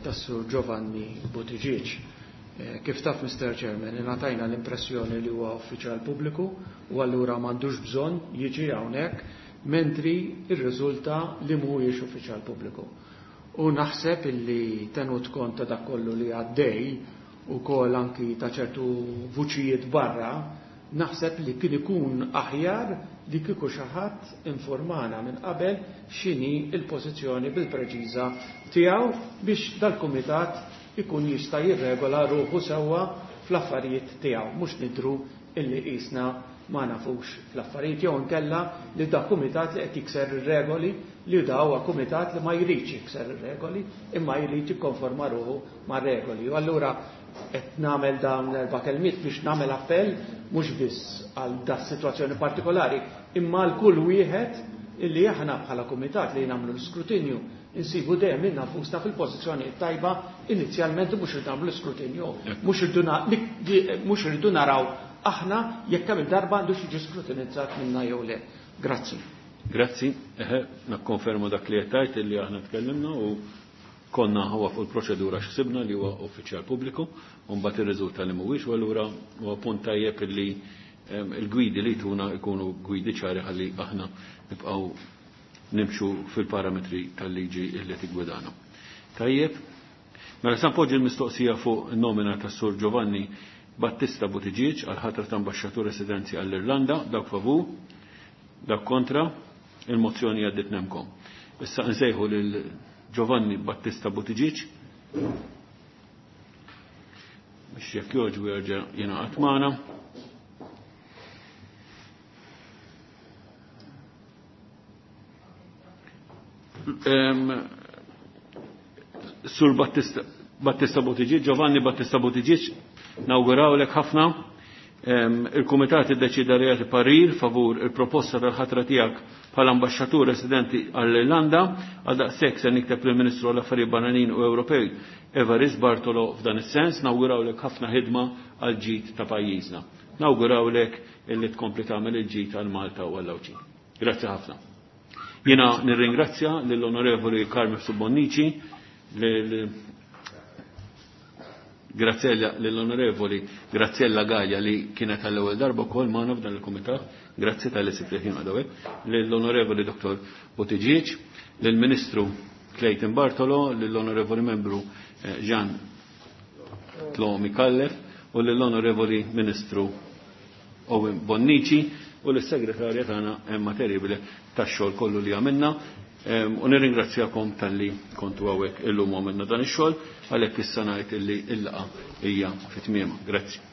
tas-Sur Giovanni Buttigieg. Kif taf, Mister Chairman, ingħatajna l-impressjoni li huwa uffiċjal pubbliku u allura m'għandux bżonn jiġi hawnhekk, mentri rriżulta li mhuwiex uffiċjal pubbliku. U naħseb illi tenut kont ta' dak kollu li għaddej u kol anki ta' ċertu vuċijiet barra, naħseb li kien ikun aħjar li kieku xi ħadd informana minn qabel x'inhi l-pożizzjoni bil-preċiża tiegħu biex dal-kumitat ikun jista' jirregola ruħu sewwa fl-affarijiet tiegħu, mhux nidru illi qisna ma nafux fl-affarijiet jew inkella li da kumitat li qed jikser ir-regoli, li da huwa kumitat li ma jridx jikser ir-regoli imma jrid jikkonforma ruħu mar-regoli. U allura qed nagħmel dawn l-erba' kelmiet biex nagħmel appell mhux biss għal da sitwazzjoni partikolari imma għal kull wieħed illi aħna bħala kumitat li nagħmlu l-iskrutinju insibu dejjem lil nafusna fil-pożizzjoni tajba inizjalment, mhux irridu nagħmlu l-iskrutinju, mhux irridu naraw aħna jekk kemm il-darba għandux jiġi skrutinizzat minna jew le. Grazzi. Grazzi. Eħe, nakkonferma dak li qed tgħid illi aħna tkellimna u konna huwa fuq il-proċedura x'sibna li huwa uffiċjal pubbliku u mbagħad irriżulta li mhuwiex, u allura huwa punt tajjeb illi il-gwidi li tuna jkunu gwidi ċari ħalli aħna nibqgħu nimxu fil-parametri tal-liġi illi tiggwidana. Tajjeb, mela sa npoġġi l-mistoqsija fuq nomina tas-Sur Giovanni Battista Buttigieg għal ħatra ta' ambaxxatur residenzi għall-Irlanda, dak favur, dak kontra, il-mozzjoni għaddit nemkom. Issa nsejħu lil Giovanni Battista Buttigieg biex jekk jogħġbu jerġa' jingħaqad magħna. Sur Battista, Battista Buttigieg, Giovanni Battista Buttigieg, nawgurawlek ħafna. Il-Kumitat iddeċida li jagħti parir favur il-proposta tal-ħatra tiegħek bħala ambaxxatur residenti għall-Irlanda, għal daqshekk se nikteb lill-Ministru għall-Affarijiet Barranin u Ewropej Evarist Bartolo f'dan is-sens, nawgurawlek ħafna ħidma għal ġid ta' pajjiżna. Nawgurawlek illi tkompli tagħmel il-ġid għal Malta u għall-Għawdxin. Grazzi ħafna. Jiena nirringrazzja lill-Onorevoli Carmen Bonnici, lil Graziella, lill-Onorevoli Graziella Gaia li kienet għall-ewwel darba wkoll magħna f'dan il-kumitat, grazzi tal-li sibt ħin għadawek, lill-Onorevoli Dottor Buttigieg, lill-Ministru Clayton Bartolo, lill-Onorevoli Membru Jean Tlo Micallef u lill-Onorevoli Ministru Owen Bonnici u lis-Segretarja tagħna Emma Terribile tax-xogħol kollu li għamilna. U nirringrazzjakom tal-li kontu hawnhekk illum għamilna dan ix-xogħol, għalhekk issa ngħid illi l-laqgħa hija fi tmiemha. Grazzi.